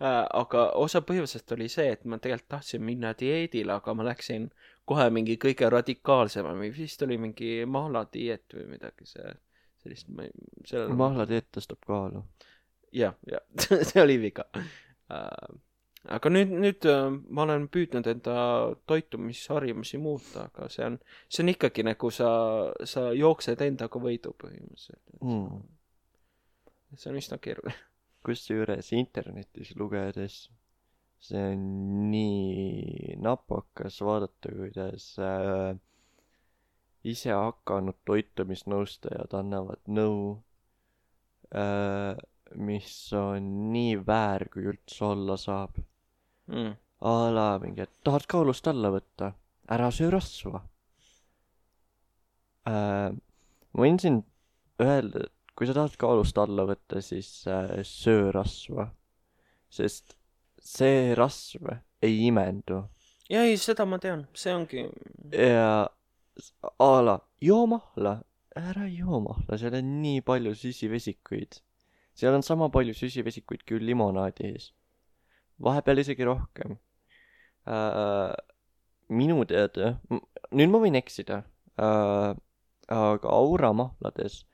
Aga osa põhjusest oli see, et ma tegelikult tahtsin minna dieedile, aga ma läksin kohe mingi kõige radikaalsema, vist oli mingi mahladieet või midagi sellist. Mahladieet tõstab kaalu. Jah, see oli viga. aga nüüd ma olen püüdnud enda toitumisharjumusi muuta, aga see on ikkagi nagu sa jooksed endaga võidu põhimõtteliselt. See on üsna keeruline. Kusjuures internetis lugedes see on nii napakas vaadata, kuidas ise hakanud toitumisnõustajad annavad nõu, mis on nii väär, kui üldse olla saab. A la mingi, et tahad kaalust alla võtta, ära söö rasva. Ma võin siin öelda, et kui sa tahad kaalust alla võtta, siis söö rasva, sest see rasv ei imendu. Ja ei, seda ma tean, see ongi. Ja a la, joo mahla, ära joo mahla, seal on nii palju süsivesikuid. Seal on sama palju süsivesikuid kui limonaadis. Vahepeal isegi rohkem. Minu teada, nüüd ma võin eksida, aga Aura mahlades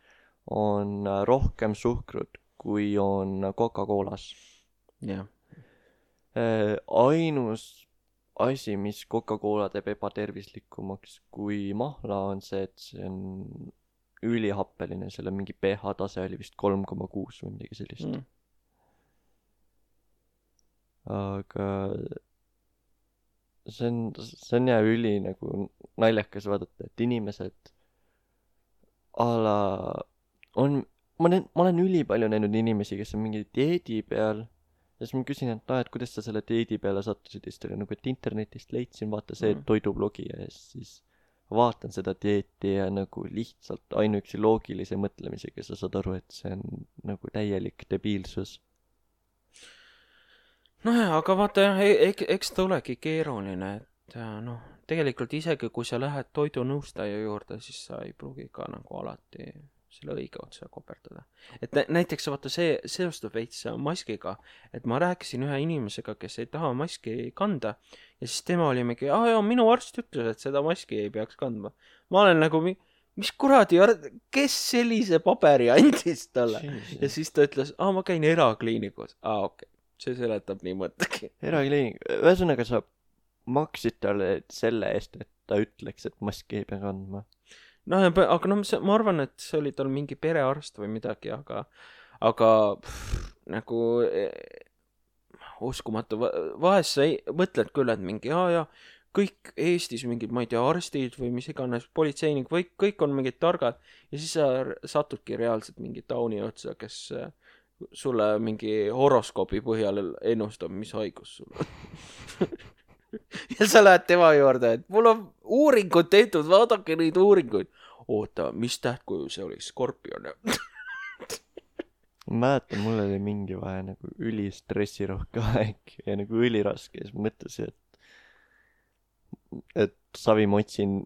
on rohkem suhkrut, kui on Coca-Colas. Jah. Ainus asi, mis Coca-Cola teeb ebatervislikumaks kui mahla, on see, et see on ülihappeline, selle mingi pH tase oli vist 3,6 või midagi sellist. Aga see on ja üli nagu naljakas vaadata, et inimesed a la ma olen ülipalju näinud inimesi, kes on mingi dieedi peal. Ja siis ma küsin, et kuidas sa selle dieedi peale sattusid, ja siis nagu, et internetist leidsin, vaata see toidublogi ja siis vaatan seda dieeti ja nagu lihtsalt ainuüksi loogilise mõtlemisega sa saad aru, et see on nagu täielik debiilsus. Nojah, aga vaata, eks ta olegi keeruline, et tegelikult isegi kui sa lähed toidunõustaja juurde, siis sa ei pruugi ka nagu alati selle õige otsa koperdada. Et näiteks vaata see seostub veits maskiga, et ma rääkisin ühe inimesega, kes ei taha maski kanda ja siis tema oli mingi, minu arst ütles, et seda maski ei peaks kandma. Ma olen nagu, mis kuradi, kes sellise paberi andis talle? Ja siis ta ütles, ma käin erakliinikus. Okei, see seletab nii mõttagi. Erakliinik, ühesõnaga sa maksid talle selle eest, et ta ütleks, et maski ei pea kandma. Aga ma arvan, et see oli tal mingi perearst või midagi, aga nagu uskumatu. Vahest sa mõtled küll, et mingi, kõik Eestis mingid, ma ei tea, arstid või mis iganes, politseinik või kõik on mingid targad ja siis sa satudki reaalselt mingi tauni otsa, kes sulle mingi horoskoobi põhjal ennustab, mis haigus sul on. Ja sa lähed tema juurde, et mul on uuringud tehtud, vaadake neid uuringuid. Oota, mis tähtkuju see oli? Skorpion. Ma mäletan, mul oli mingi vahe nagu ülistressirohke aeg ja nagu üliraske ja siis mõtlesin, et savi ma otsin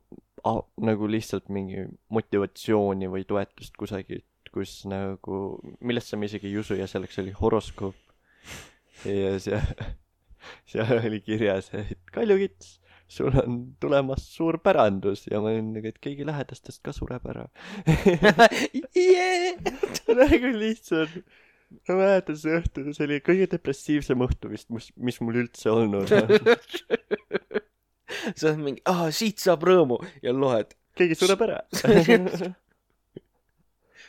nagu lihtsalt mingi motivatsiooni või toetust kusagilt, kus nagu, millesse ma isegi ei usu ja selleks oli horoskoop. Ja seal oli kirjas, et Kaljukits, sul on tulemas suur pärandus ja ma olin nagu, et keegi lähedastest ka sureb ära. Nagu lihtsalt, ma mäletan see õhtu, see oli kõige depressiivsem õhtu vist, mis mul üldse olnud. Sa oled mingi, siit saab rõõmu ja loed. Keegi sureb ära.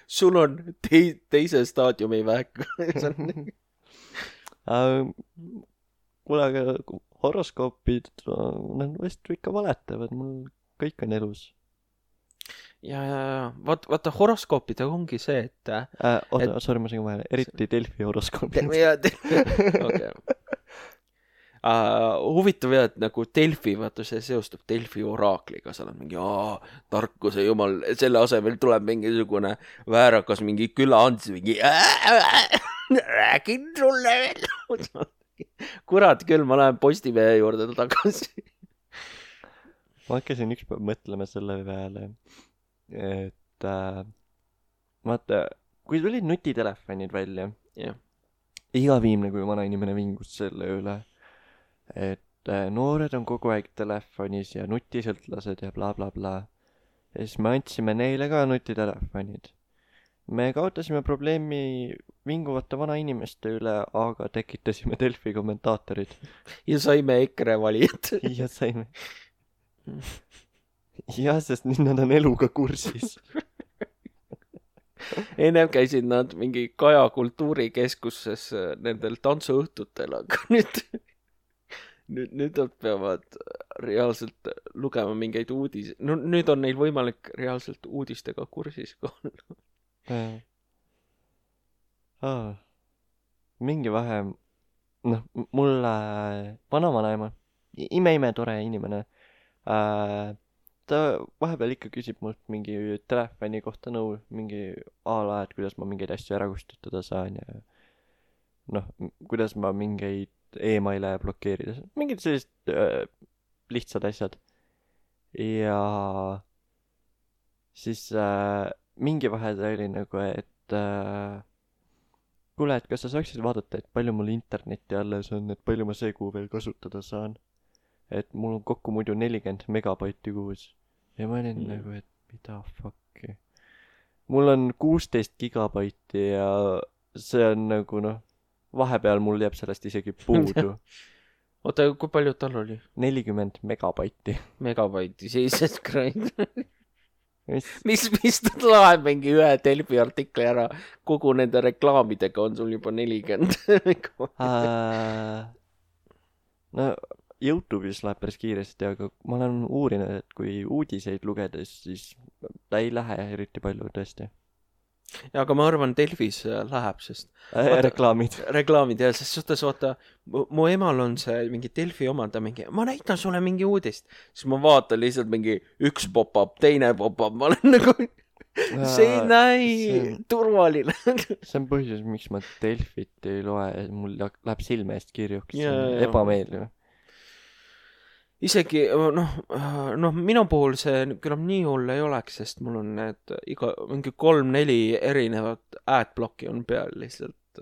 Sul on teise staadiumi vähk. Kuule, aga horoskoopid, nad vist ikka valetavad, mul kõik on elus. Ja. Vaata, horoskoopid ongi see, et... Sorry, ma segin vahele. Eriti Delfi horoskoopid. Okay. Huvitav jah, et nagu Delfi, vaata see seostub Delfi oraakliga, sa oled mingi, tarkuse jumal, selle asemel tuleb mingisugune väärakas, mingi külaants, mingi räägin sulle veel. Kurat küll, ma lähen Postimehe juurde tagasi. Ma hakkasin ükspäev mõtlema selle peale, et vaata, kui tulid nutitelefonid välja, iga viimne kui vana inimene vingus selle üle, et noored on kogu aeg telefonis ja nutisõltlased ja bla bla bla. Ja siis me andsime neile ka nutitelefonid. me kaotasime probleemi vinguvate vanainimeste üle, aga tekitasime Delfi kommentaatorid. Ja saime EKRE valijad. Ja saime. Jah, sest nüüd nad on eluga kursis. Ennem käisid nad mingi Kaja kultuurikeskuses nendel tantsuõhtutel, aga nüüd nad peavad reaalselt lugema mingeid uudis. No nüüd on neil võimalik reaalselt uudistega kursis olla. Mingi vahe, noh, mulle vanavanaema, ime tore inimene, ta vahepeal ikka küsib mult mingi telefoni kohta nõu, mingi ala, et kuidas ma mingeid asju ära kustutada saan ja noh, kuidas ma mingeid emaile blokeerida, mingid sellised lihtsad asjad. Ja siis mingi vahe ta oli nagu, et kuule, et kas sa saaksid vaadata, et palju mul internetti alles on, et palju ma see kuu veel kasutada saan. Et mul on kokku muidu 40 megabaiti kuus. Ja ma olin nagu, et mida fuck'i. Mul on 16 gigabaiti ja see on nagu noh, vahepeal mul jääb sellest isegi puudu. Oota, kui palju tal oli? 40 megabaiti. Megabaiti, Jesus Christ. Mis ta laeb mingi ühe Delfi artikli ära, kogu nende reklaamidega on sul juba 40 no YouTube'is läheb päris kiiresti, aga ma olen uurinud, et kui uudiseid lugedes, siis ta ei lähe eriti palju tõesti. Ja, aga ma arvan, Delfis läheb, sest reklaamid ja sest suhtes vaata, mu emal on see mingi Delfi omanda mingi, ma näitan sulle mingi uudist, siis ma vaatan lihtsalt mingi üks pop-up, teine pop-up, ma olen nagu see ei näi turvaline. See on põhjus, miks ma Delfit ei loe, mul läheb silme eest kirjuks, ebameeldiv. Isegi, noh, minu puhul see küll nii hull ei oleks, sest mul on need mingi 3-4 erinevat adblocki on peal lihtsalt.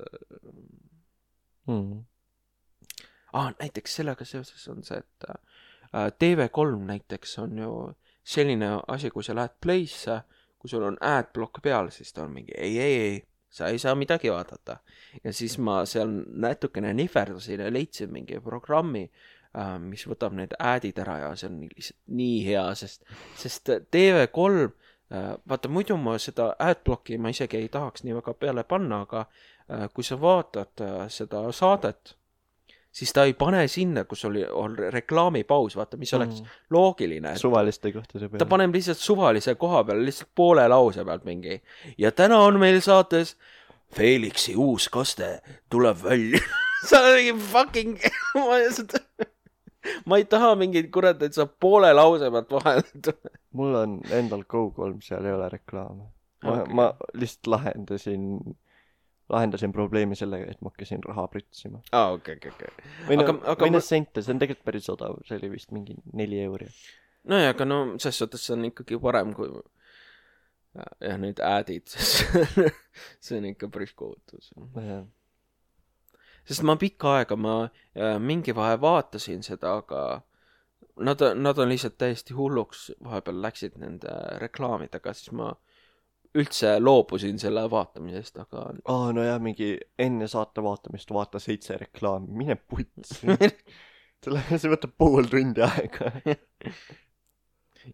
Näiteks sellega seoses on see, et TV3 näiteks on ju selline asi, kui sa lähed Play'sse, kui sul on adblock peal, siis ta on mingi ei, sa ei saa midagi vaadata. Ja siis ma seal natukene nihverdasin ja leidsin mingi programmi, mis võtab need adid ära ja see on lihtsalt nii hea, sest TV3, vaata muidu ma seda adblocki ma isegi ei tahaks nii väga peale panna, aga kui sa vaatad seda saadet, siis ta ei pane sinna, kus oli reklaamipaus, vaata, mis oleks loogiline. Suvaliste kohtade peale. Ta paneb lihtsalt suvalise koha peale, lihtsalt poole lause pealt mingi. Ja täna on meil saates Felixi uus kaste tuleb välja. Sa mingi fucking... ma ei taha mingid kurat, et sa poole lause pealt vahel. Mul on endal Go3, seal ei ole reklaame. Ma lihtsalt lahendasin probleemi sellega, et ma hakkasin raha prütsima. Okay. Või sente, see on tegelikult päris odav, see oli vist mingi 4 euri. No ja, aga selles suhtes see on ikkagi parem kui ja need adid, see on ikka päris kohutus. Sest ma pikka aega mingi vahe vaatasin seda, aga nad on lihtsalt täiesti hulluks vahepeal läksid nende reklaamidega, siis ma üldse loobusin selle vaatamisest, aga... no jah, mingi enne saate vaatamist vaata 7 reklaami, mine puts. See võtab pool tundi aega.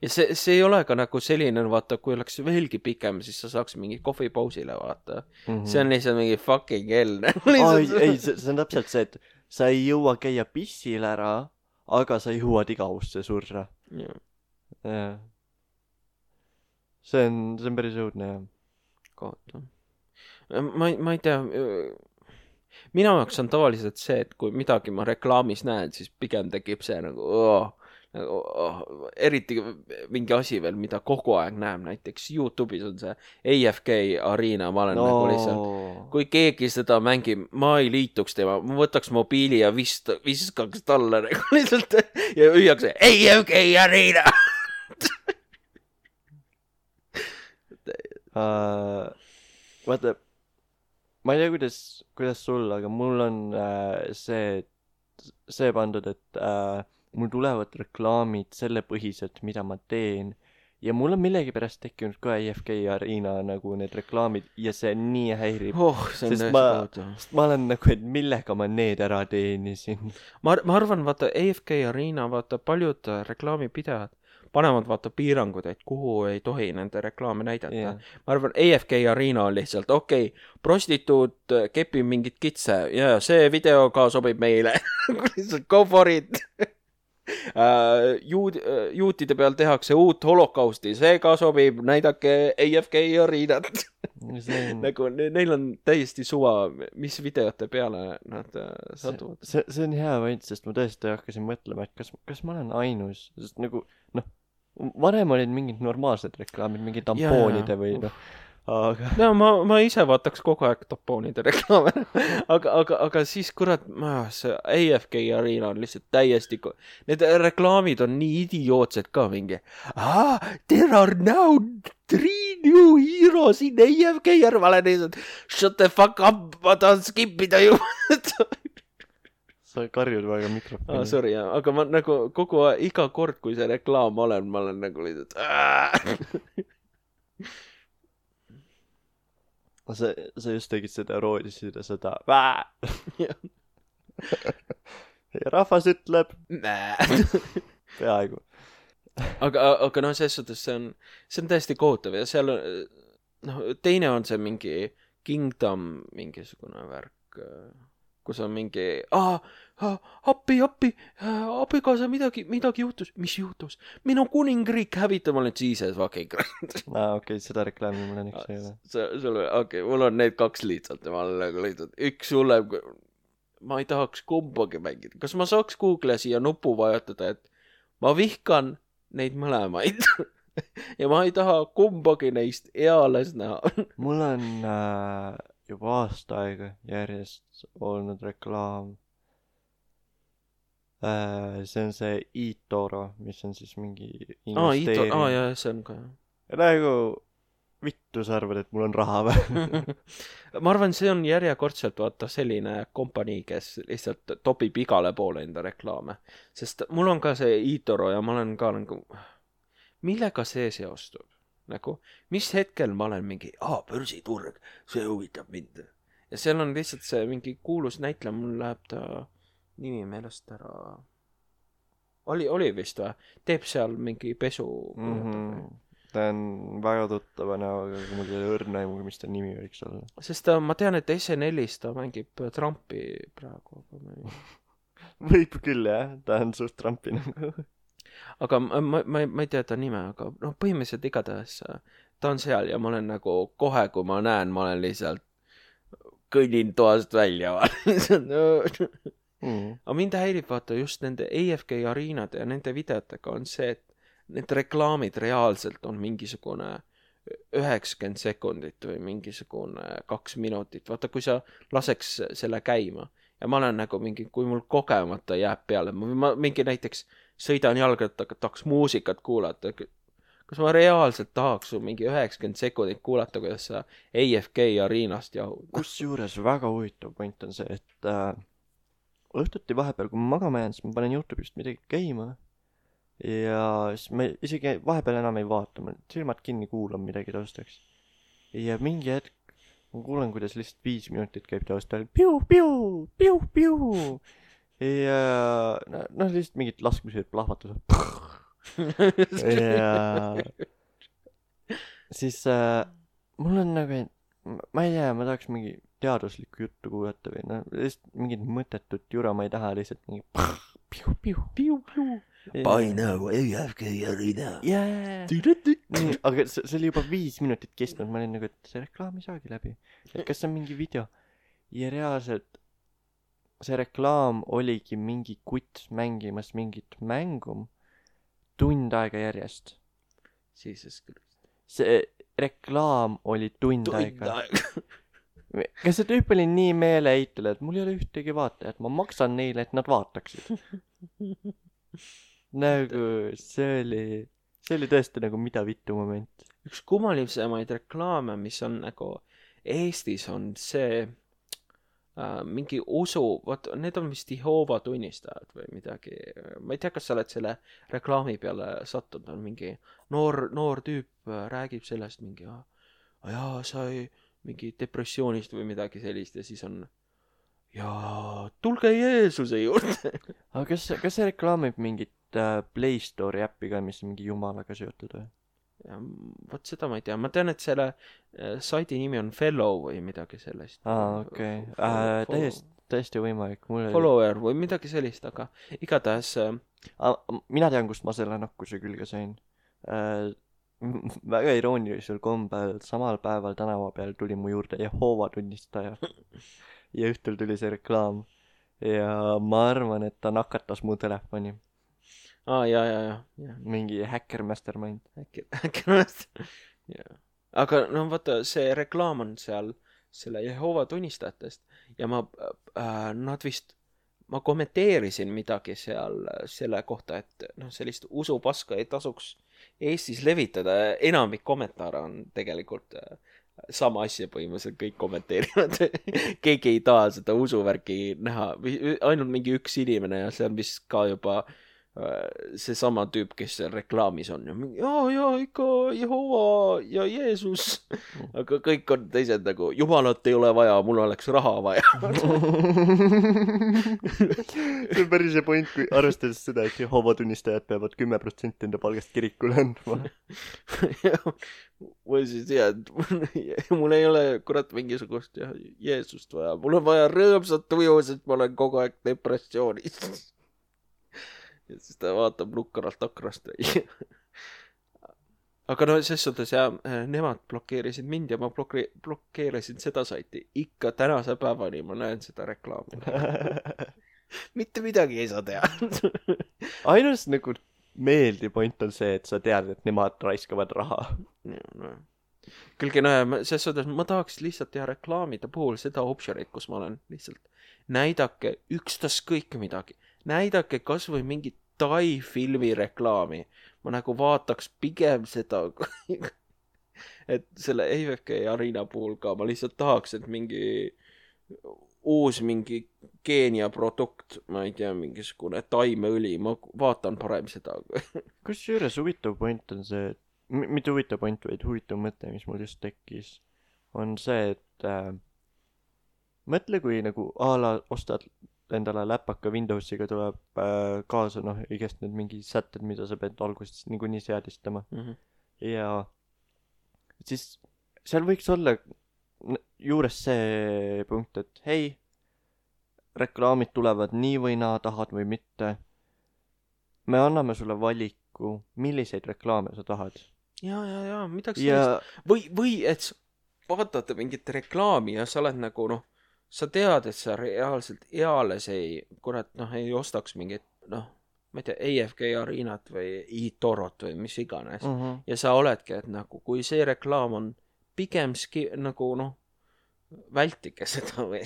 Ja see ei ole ka nagu selline, vaata, kui oleks veelgi pikem, siis sa saaks mingi kohvipausile vaata. See on lihtsalt mingi fucking hell. Ei, see on täpselt see, et sa ei jõua käia pissil ära, aga sa jõuad igavusse surra. Jah. See on päris õudne, jah. Kohta. Ma ei tea, minu jaoks on tavaliselt see, et kui midagi ma reklaamis näen, siis pigem tekib see nagu eriti mingi asi veel, mida kogu aeg näeb, näiteks YouTube'is on see AFK Arena, ma olen nagu lihtsalt, kui keegi seda mängib, ma ei liituks tema, ma võtaks mobiili ja viskaks talle nagu lihtsalt ja hüüaks AFK Arena. Vaata, ma ei tea, kuidas sul, aga mul on see pandud, et mul tulevad reklaamid selle põhiselt, mida ma teen ja mul on millegipärast tekkinud ka AFK Arena nagu need reklaamid ja see nii häirib. See on sest ma olen nagu, et millega ma need ära teenisin. Ma arvan, vaata AFK Arena, vaata paljud reklaamipidajad panevad vaata piirangud, et kuhu ei tohi nende reklaame näidata. Yeah. Ma arvan, AFK Arena on lihtsalt, prostituut kepib mingit kitse ja see video ka sobib meile. Lihtsalt go for it. Juutide peal tehakse uut holokausti, see ka sobib, näidake AFK Arenat. Nagu neil on täiesti suva, mis videote peale nad satuvad. See on hea võint, sest ma tõesti hakkasin mõtlema, et kas ma olen ainus, sest nagu varem olid mingid normaalsed reklaamid, mingid tampoonide või aga... No ma ise vaataks kogu aeg tampoonide reklaame, aga siis kurat, see AFK Arena on lihtsalt täiesti... Need reklaamid on nii idiootsed ka mingi. There are now 3 new heroes in AFK Arena. Ma olen lihtsalt, shut the fuck up, ma tahan skipida ju. Sa karjud väga mikrofoni. Sorry, aga ma nagu iga kord, kui see reklaam olen, ma olen nagu lihtsalt... Sa just tegid seda roodisid ja seda ja rahvas ütleb peaaegu. Aga selles suhtes see on täiesti kohutav ja seal teine on see mingi Kingdom mingisugune värk, kus on mingi appi, abikaasa midagi juhtus. Mis juhtus? Minu kuningriik hävitab, ma olen Jesus fucking Christ. Okei, seda reklaami mul on üks ei ole. Mul on need 2 lihtsalt ja ma olen nagu lihtsalt üks hullem. Ma ei tahaks kumbagi mängida. Kas ma saaks Google'i siia nupu vajutada, et ma vihkan neid mõlemaid ja ma ei taha kumbagi neist eales näha. Mul on juba aasta aega järjest olnud reklaam. See on see eToro, mis on siis mingi investeering. Jah, see on ka. Ja nagu vittu sa arvad, et mul on raha või? Ma arvan, see on järjekordselt vaata selline kompanii, kes lihtsalt topib igale poole enda reklaame. Sest mul on ka see eToro ja ma olen ka nagu, millega see seostub? Nagu, mis hetkel ma olen mingi, börsiturg, see huvitab mind. Ja seal on lihtsalt see mingi kuulus näitleja, mul läheb ta nimi meelest ära. Oli vist või? Teeb seal mingi pesu. Ta on väga tuttava näoga, aga mul ei ole õrna aimu, mis ta nimi võiks olla. Sest ma tean, et SNL-is ta mängib Trumpi praegu. Võib küll jah, ta on suht Trumpi nagu. Aga ma ei tea ta nime, aga põhimõtteliselt igatahes ta on seal ja ma olen nagu kohe, kui ma näen, ma olen lihtsalt kõnnin toast välja. Aga mind häirib vaata just nende AFK Arenade ja nende videotega on see, et need reklaamid reaalselt on mingisugune 90 sekundit või mingisugune 2 minutit. Vaata, kui sa laseks selle käima ja ma olen nagu mingi, kui mul kogemata jääb peale, ma mingi näiteks sõidan jalgrat, tahaks muusikat kuulata. Kas ma reaalselt tahaks mingi 90 sekundit kuulata, kuidas sa AFK Arenast jahud? Kusjuures väga huvitav point on see, et õhtuti vahepeal, kui ma magama jään, siis ma panen YouTube'ist midagi käima ja siis ma isegi vahepeal enam ei vaata, ma silmad kinni kuulan midagi taustaks. Ja mingi hetk ma kuulen, kuidas lihtsalt 5 minutit käib taustal piu. Ja lihtsalt mingid laskmised plahvatused. Ja siis mul on nagu, ma ei tea, ma tahaks mingi teaduslikku juttu kuulata või lihtsalt mingid mõttetut jura, ma ei taha lihtsalt mingi piu. By now, AFK Arena. Nii, aga see oli juba 5 minutit kestnud, ma olin nagu, et see reklaam ei saagi läbi. Et kas see on mingi video? Ja reaalselt see reklaam oligi mingi kutt mängimas mingit mängum tund aega järjest. See reklaam oli tund aega. Kas see tüüp oli nii meeleheitel, et mul ei ole ühtegi vaatajat, ma maksan neile, et nad vaataksid. Nagu see oli tõesti nagu mida vittu moment. Üks kummalivsemaid reklaame, mis on nagu Eestis on see mingi usu, vot need on vist Jehoova tunnistajad või midagi, ma ei tea, kas sa oled selle reklaami peale sattunud, on mingi noor tüüp räägib sellest mingi, jaa, sai mingi depressioonist või midagi sellist ja siis on ja tulge Jeesuse juurde. aga kas see reklaamib mingit Play Store'i äppi ka, mis on mingi jumalaga seotud või? Ja, vot seda ma ei tea, ma tean, et selle saidi nimi on Fellow või midagi sellist. Okei. Täiesti võimalik. Follower või midagi sellist, aga igatahes mina tean, kust ma selle nakkuse külge sain. Väga iroonilisel kombel samal päeval tänava peal tuli mu juurde Jehoova tunnistaja ja õhtul tuli see reklaam ja ma arvan, et ta nakatas mu telefoni. ja. Mingi hacker mastermind. Hacker mastermind. Aga no vaata, see reklaam on seal selle Jehoova tunnistajatest ja ma kommenteerisin midagi seal selle kohta, et noh, sellist usupaska ei tasuks Eestis levitada. Enamik kommentaare on tegelikult sama asja põhimõtteliselt kõik kommenteerivad. Keegi ei taha seda usuvärki näha. Ainult mingi üks inimene ja see on vist ka juba seesama tüüp, kes seal reklaamis on ja ikka Jehoova ja Jeesus, aga kõik on teised nagu jumalat ei ole vaja, mul oleks raha vaja. See on päris see point, kui arvestades seda, et Jehoova tunnistajad peavad 10% enda palgast kirikule andma. või siis mul ei ole kurat mingisugust Jeesust vaja, mul on vaja rõõmsat tuju, sest ma olen kogu aeg depressioonis. Ja siis ta vaatab lukkaralt aknast. Aga no ses suhtes nemad blokeerisid mind ja ma blokeerisin seda saiti. Ikka tänase päevani ma näen seda reklaami. Mitte midagi ei saa teha. Ainus nagu meeldiv point on see, et sa tead, et nemad raiskavad raha. No. Külgi ses suhtes ma tahaks lihtsalt teha reklaamide puhul seda optionit, kus ma olen lihtsalt näidake ükstaskõik midagi. Näidake kas või mingit Tai filmi reklaami. Ma nagu vaataks pigem seda, et selle AFK Arena puhul ka ma lihtsalt tahaks, et mingi uus mingi Keenia produkt, ma ei tea, mingisugune taimeõli, ma vaatan parem seda. Kusjuures huvitav point on see, mitte huvitav point, vaid huvitav mõte, mis mul just tekkis, on see, et mõtle, kui nagu ala ostad endale läpaka Windowsiga tuleb kaasa, noh, igast need mingi sätted, mida sa pead alguses niikuinii seadistama. Ja siis seal võiks olla juures see punkt, et hei, reklaamid tulevad nii või naa, tahad või mitte. Me anname sulle valiku, milliseid reklaame sa tahad. Ja, midagi sellist. Või et vaatad mingit reklaami ja sa oled nagu, noh, sa tead, et sa reaalselt eales ei ostaks mingit, noh, ma ei tea, AFK Arenat või eTorot või mis iganes. Ja sa oledki, et nagu, kui see reklaam on pigem nagu, noh, vältige seda või,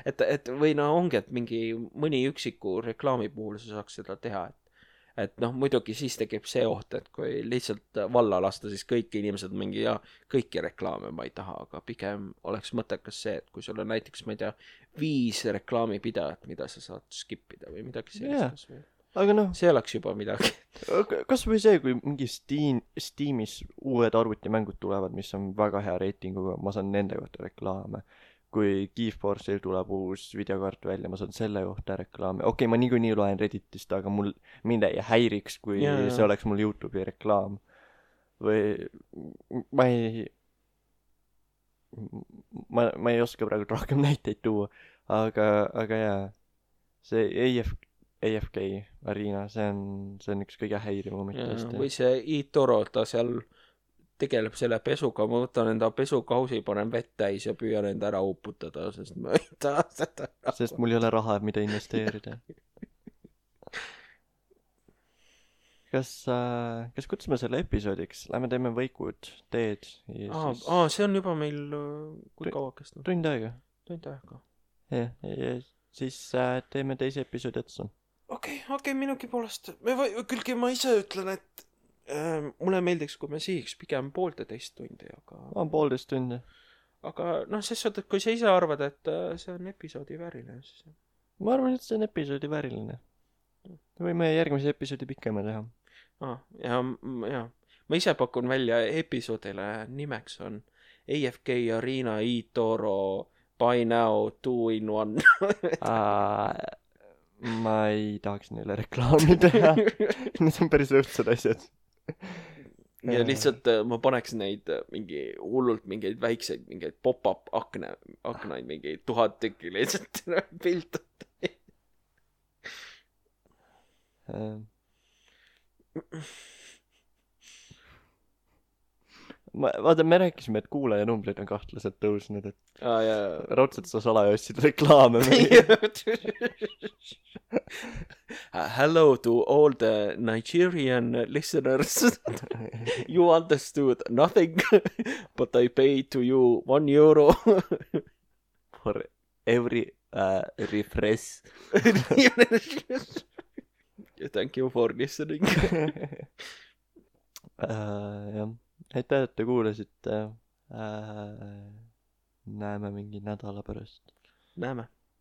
et või no ongi, et mingi mõni üksiku reklaami puhul sa saaks seda teha, et noh, muidugi siis tekib see oht, et kui lihtsalt valla lasta, siis kõik inimesed mingi kõiki reklaame ma ei taha, aga pigem oleks mõttekas see, et kui sul on näiteks, ma ei tea, 5 reklaamipidajat, mida sa saad skipida või midagi sellist. Aga noh, see oleks juba midagi. Kas või see, kui mingi Steamis uued arvutimängud tulevad, mis on väga hea reitinguga, ma saan nende kohta reklaame. Kui GeForce'il tuleb uus videokaart välja, ma saan selle kohta reklaame. Okei, ma niikuinii loen Redditist, aga mind ei häiriks, kui see oleks mul YouTube'i reklaam. Või ma ei oska praegu rohkem näiteid tuua, aga jaa, see AFK Arena, see on üks kõige häirivam mõttest. Või see eToro, ta seal tegeleb selle pesuga, ma võtan enda pesukausi, panen vett täis ja püüan enda ära uputada, sest ma ei taha seda raha. Sest mul ei ole raha, mida investeerida. Kas kutsume selle episoodiks? Lähme teeme võikud, teed. See on juba meil kui kaua kestnud? Tund aega. Ja siis teeme teise episoodi otsa. Okei, minugi poolest. Külgi ma ise ütlen, et mulle meeldiks, kui me sihiks pigem 1,5 tundi, aga... 1,5 tundi. aga noh, ses suhtes, kui sa ise arvad, et see on episoodi vääriline, siis ma arvan, et see on episoodi vääriline. võime järgmise episoodi pikema teha. ja ma ise pakun välja episoodile nimeks on AFK Arena eToro Buy Now 2-in-1. ma ei tahaks neile reklaami teha. Need on päris õudsed asjad. ja lihtsalt ma paneks neid mingi hullult mingeid väikseid mingeid pop-up aknaid mingeid 1000 tükki lihtsalt piltad. vaata, me rääkisime, et kuulajanumbrid on kahtlaselt tõusnud, et raudselt sa salaja ostsid reklaame. Hello to all the Nigerian listeners. You understood nothing, but I paid to you €1 for every refresh. Thank you for listening. jah, aitäh, et te kuulasite. Näeme mingi nädala pärast. Näeme.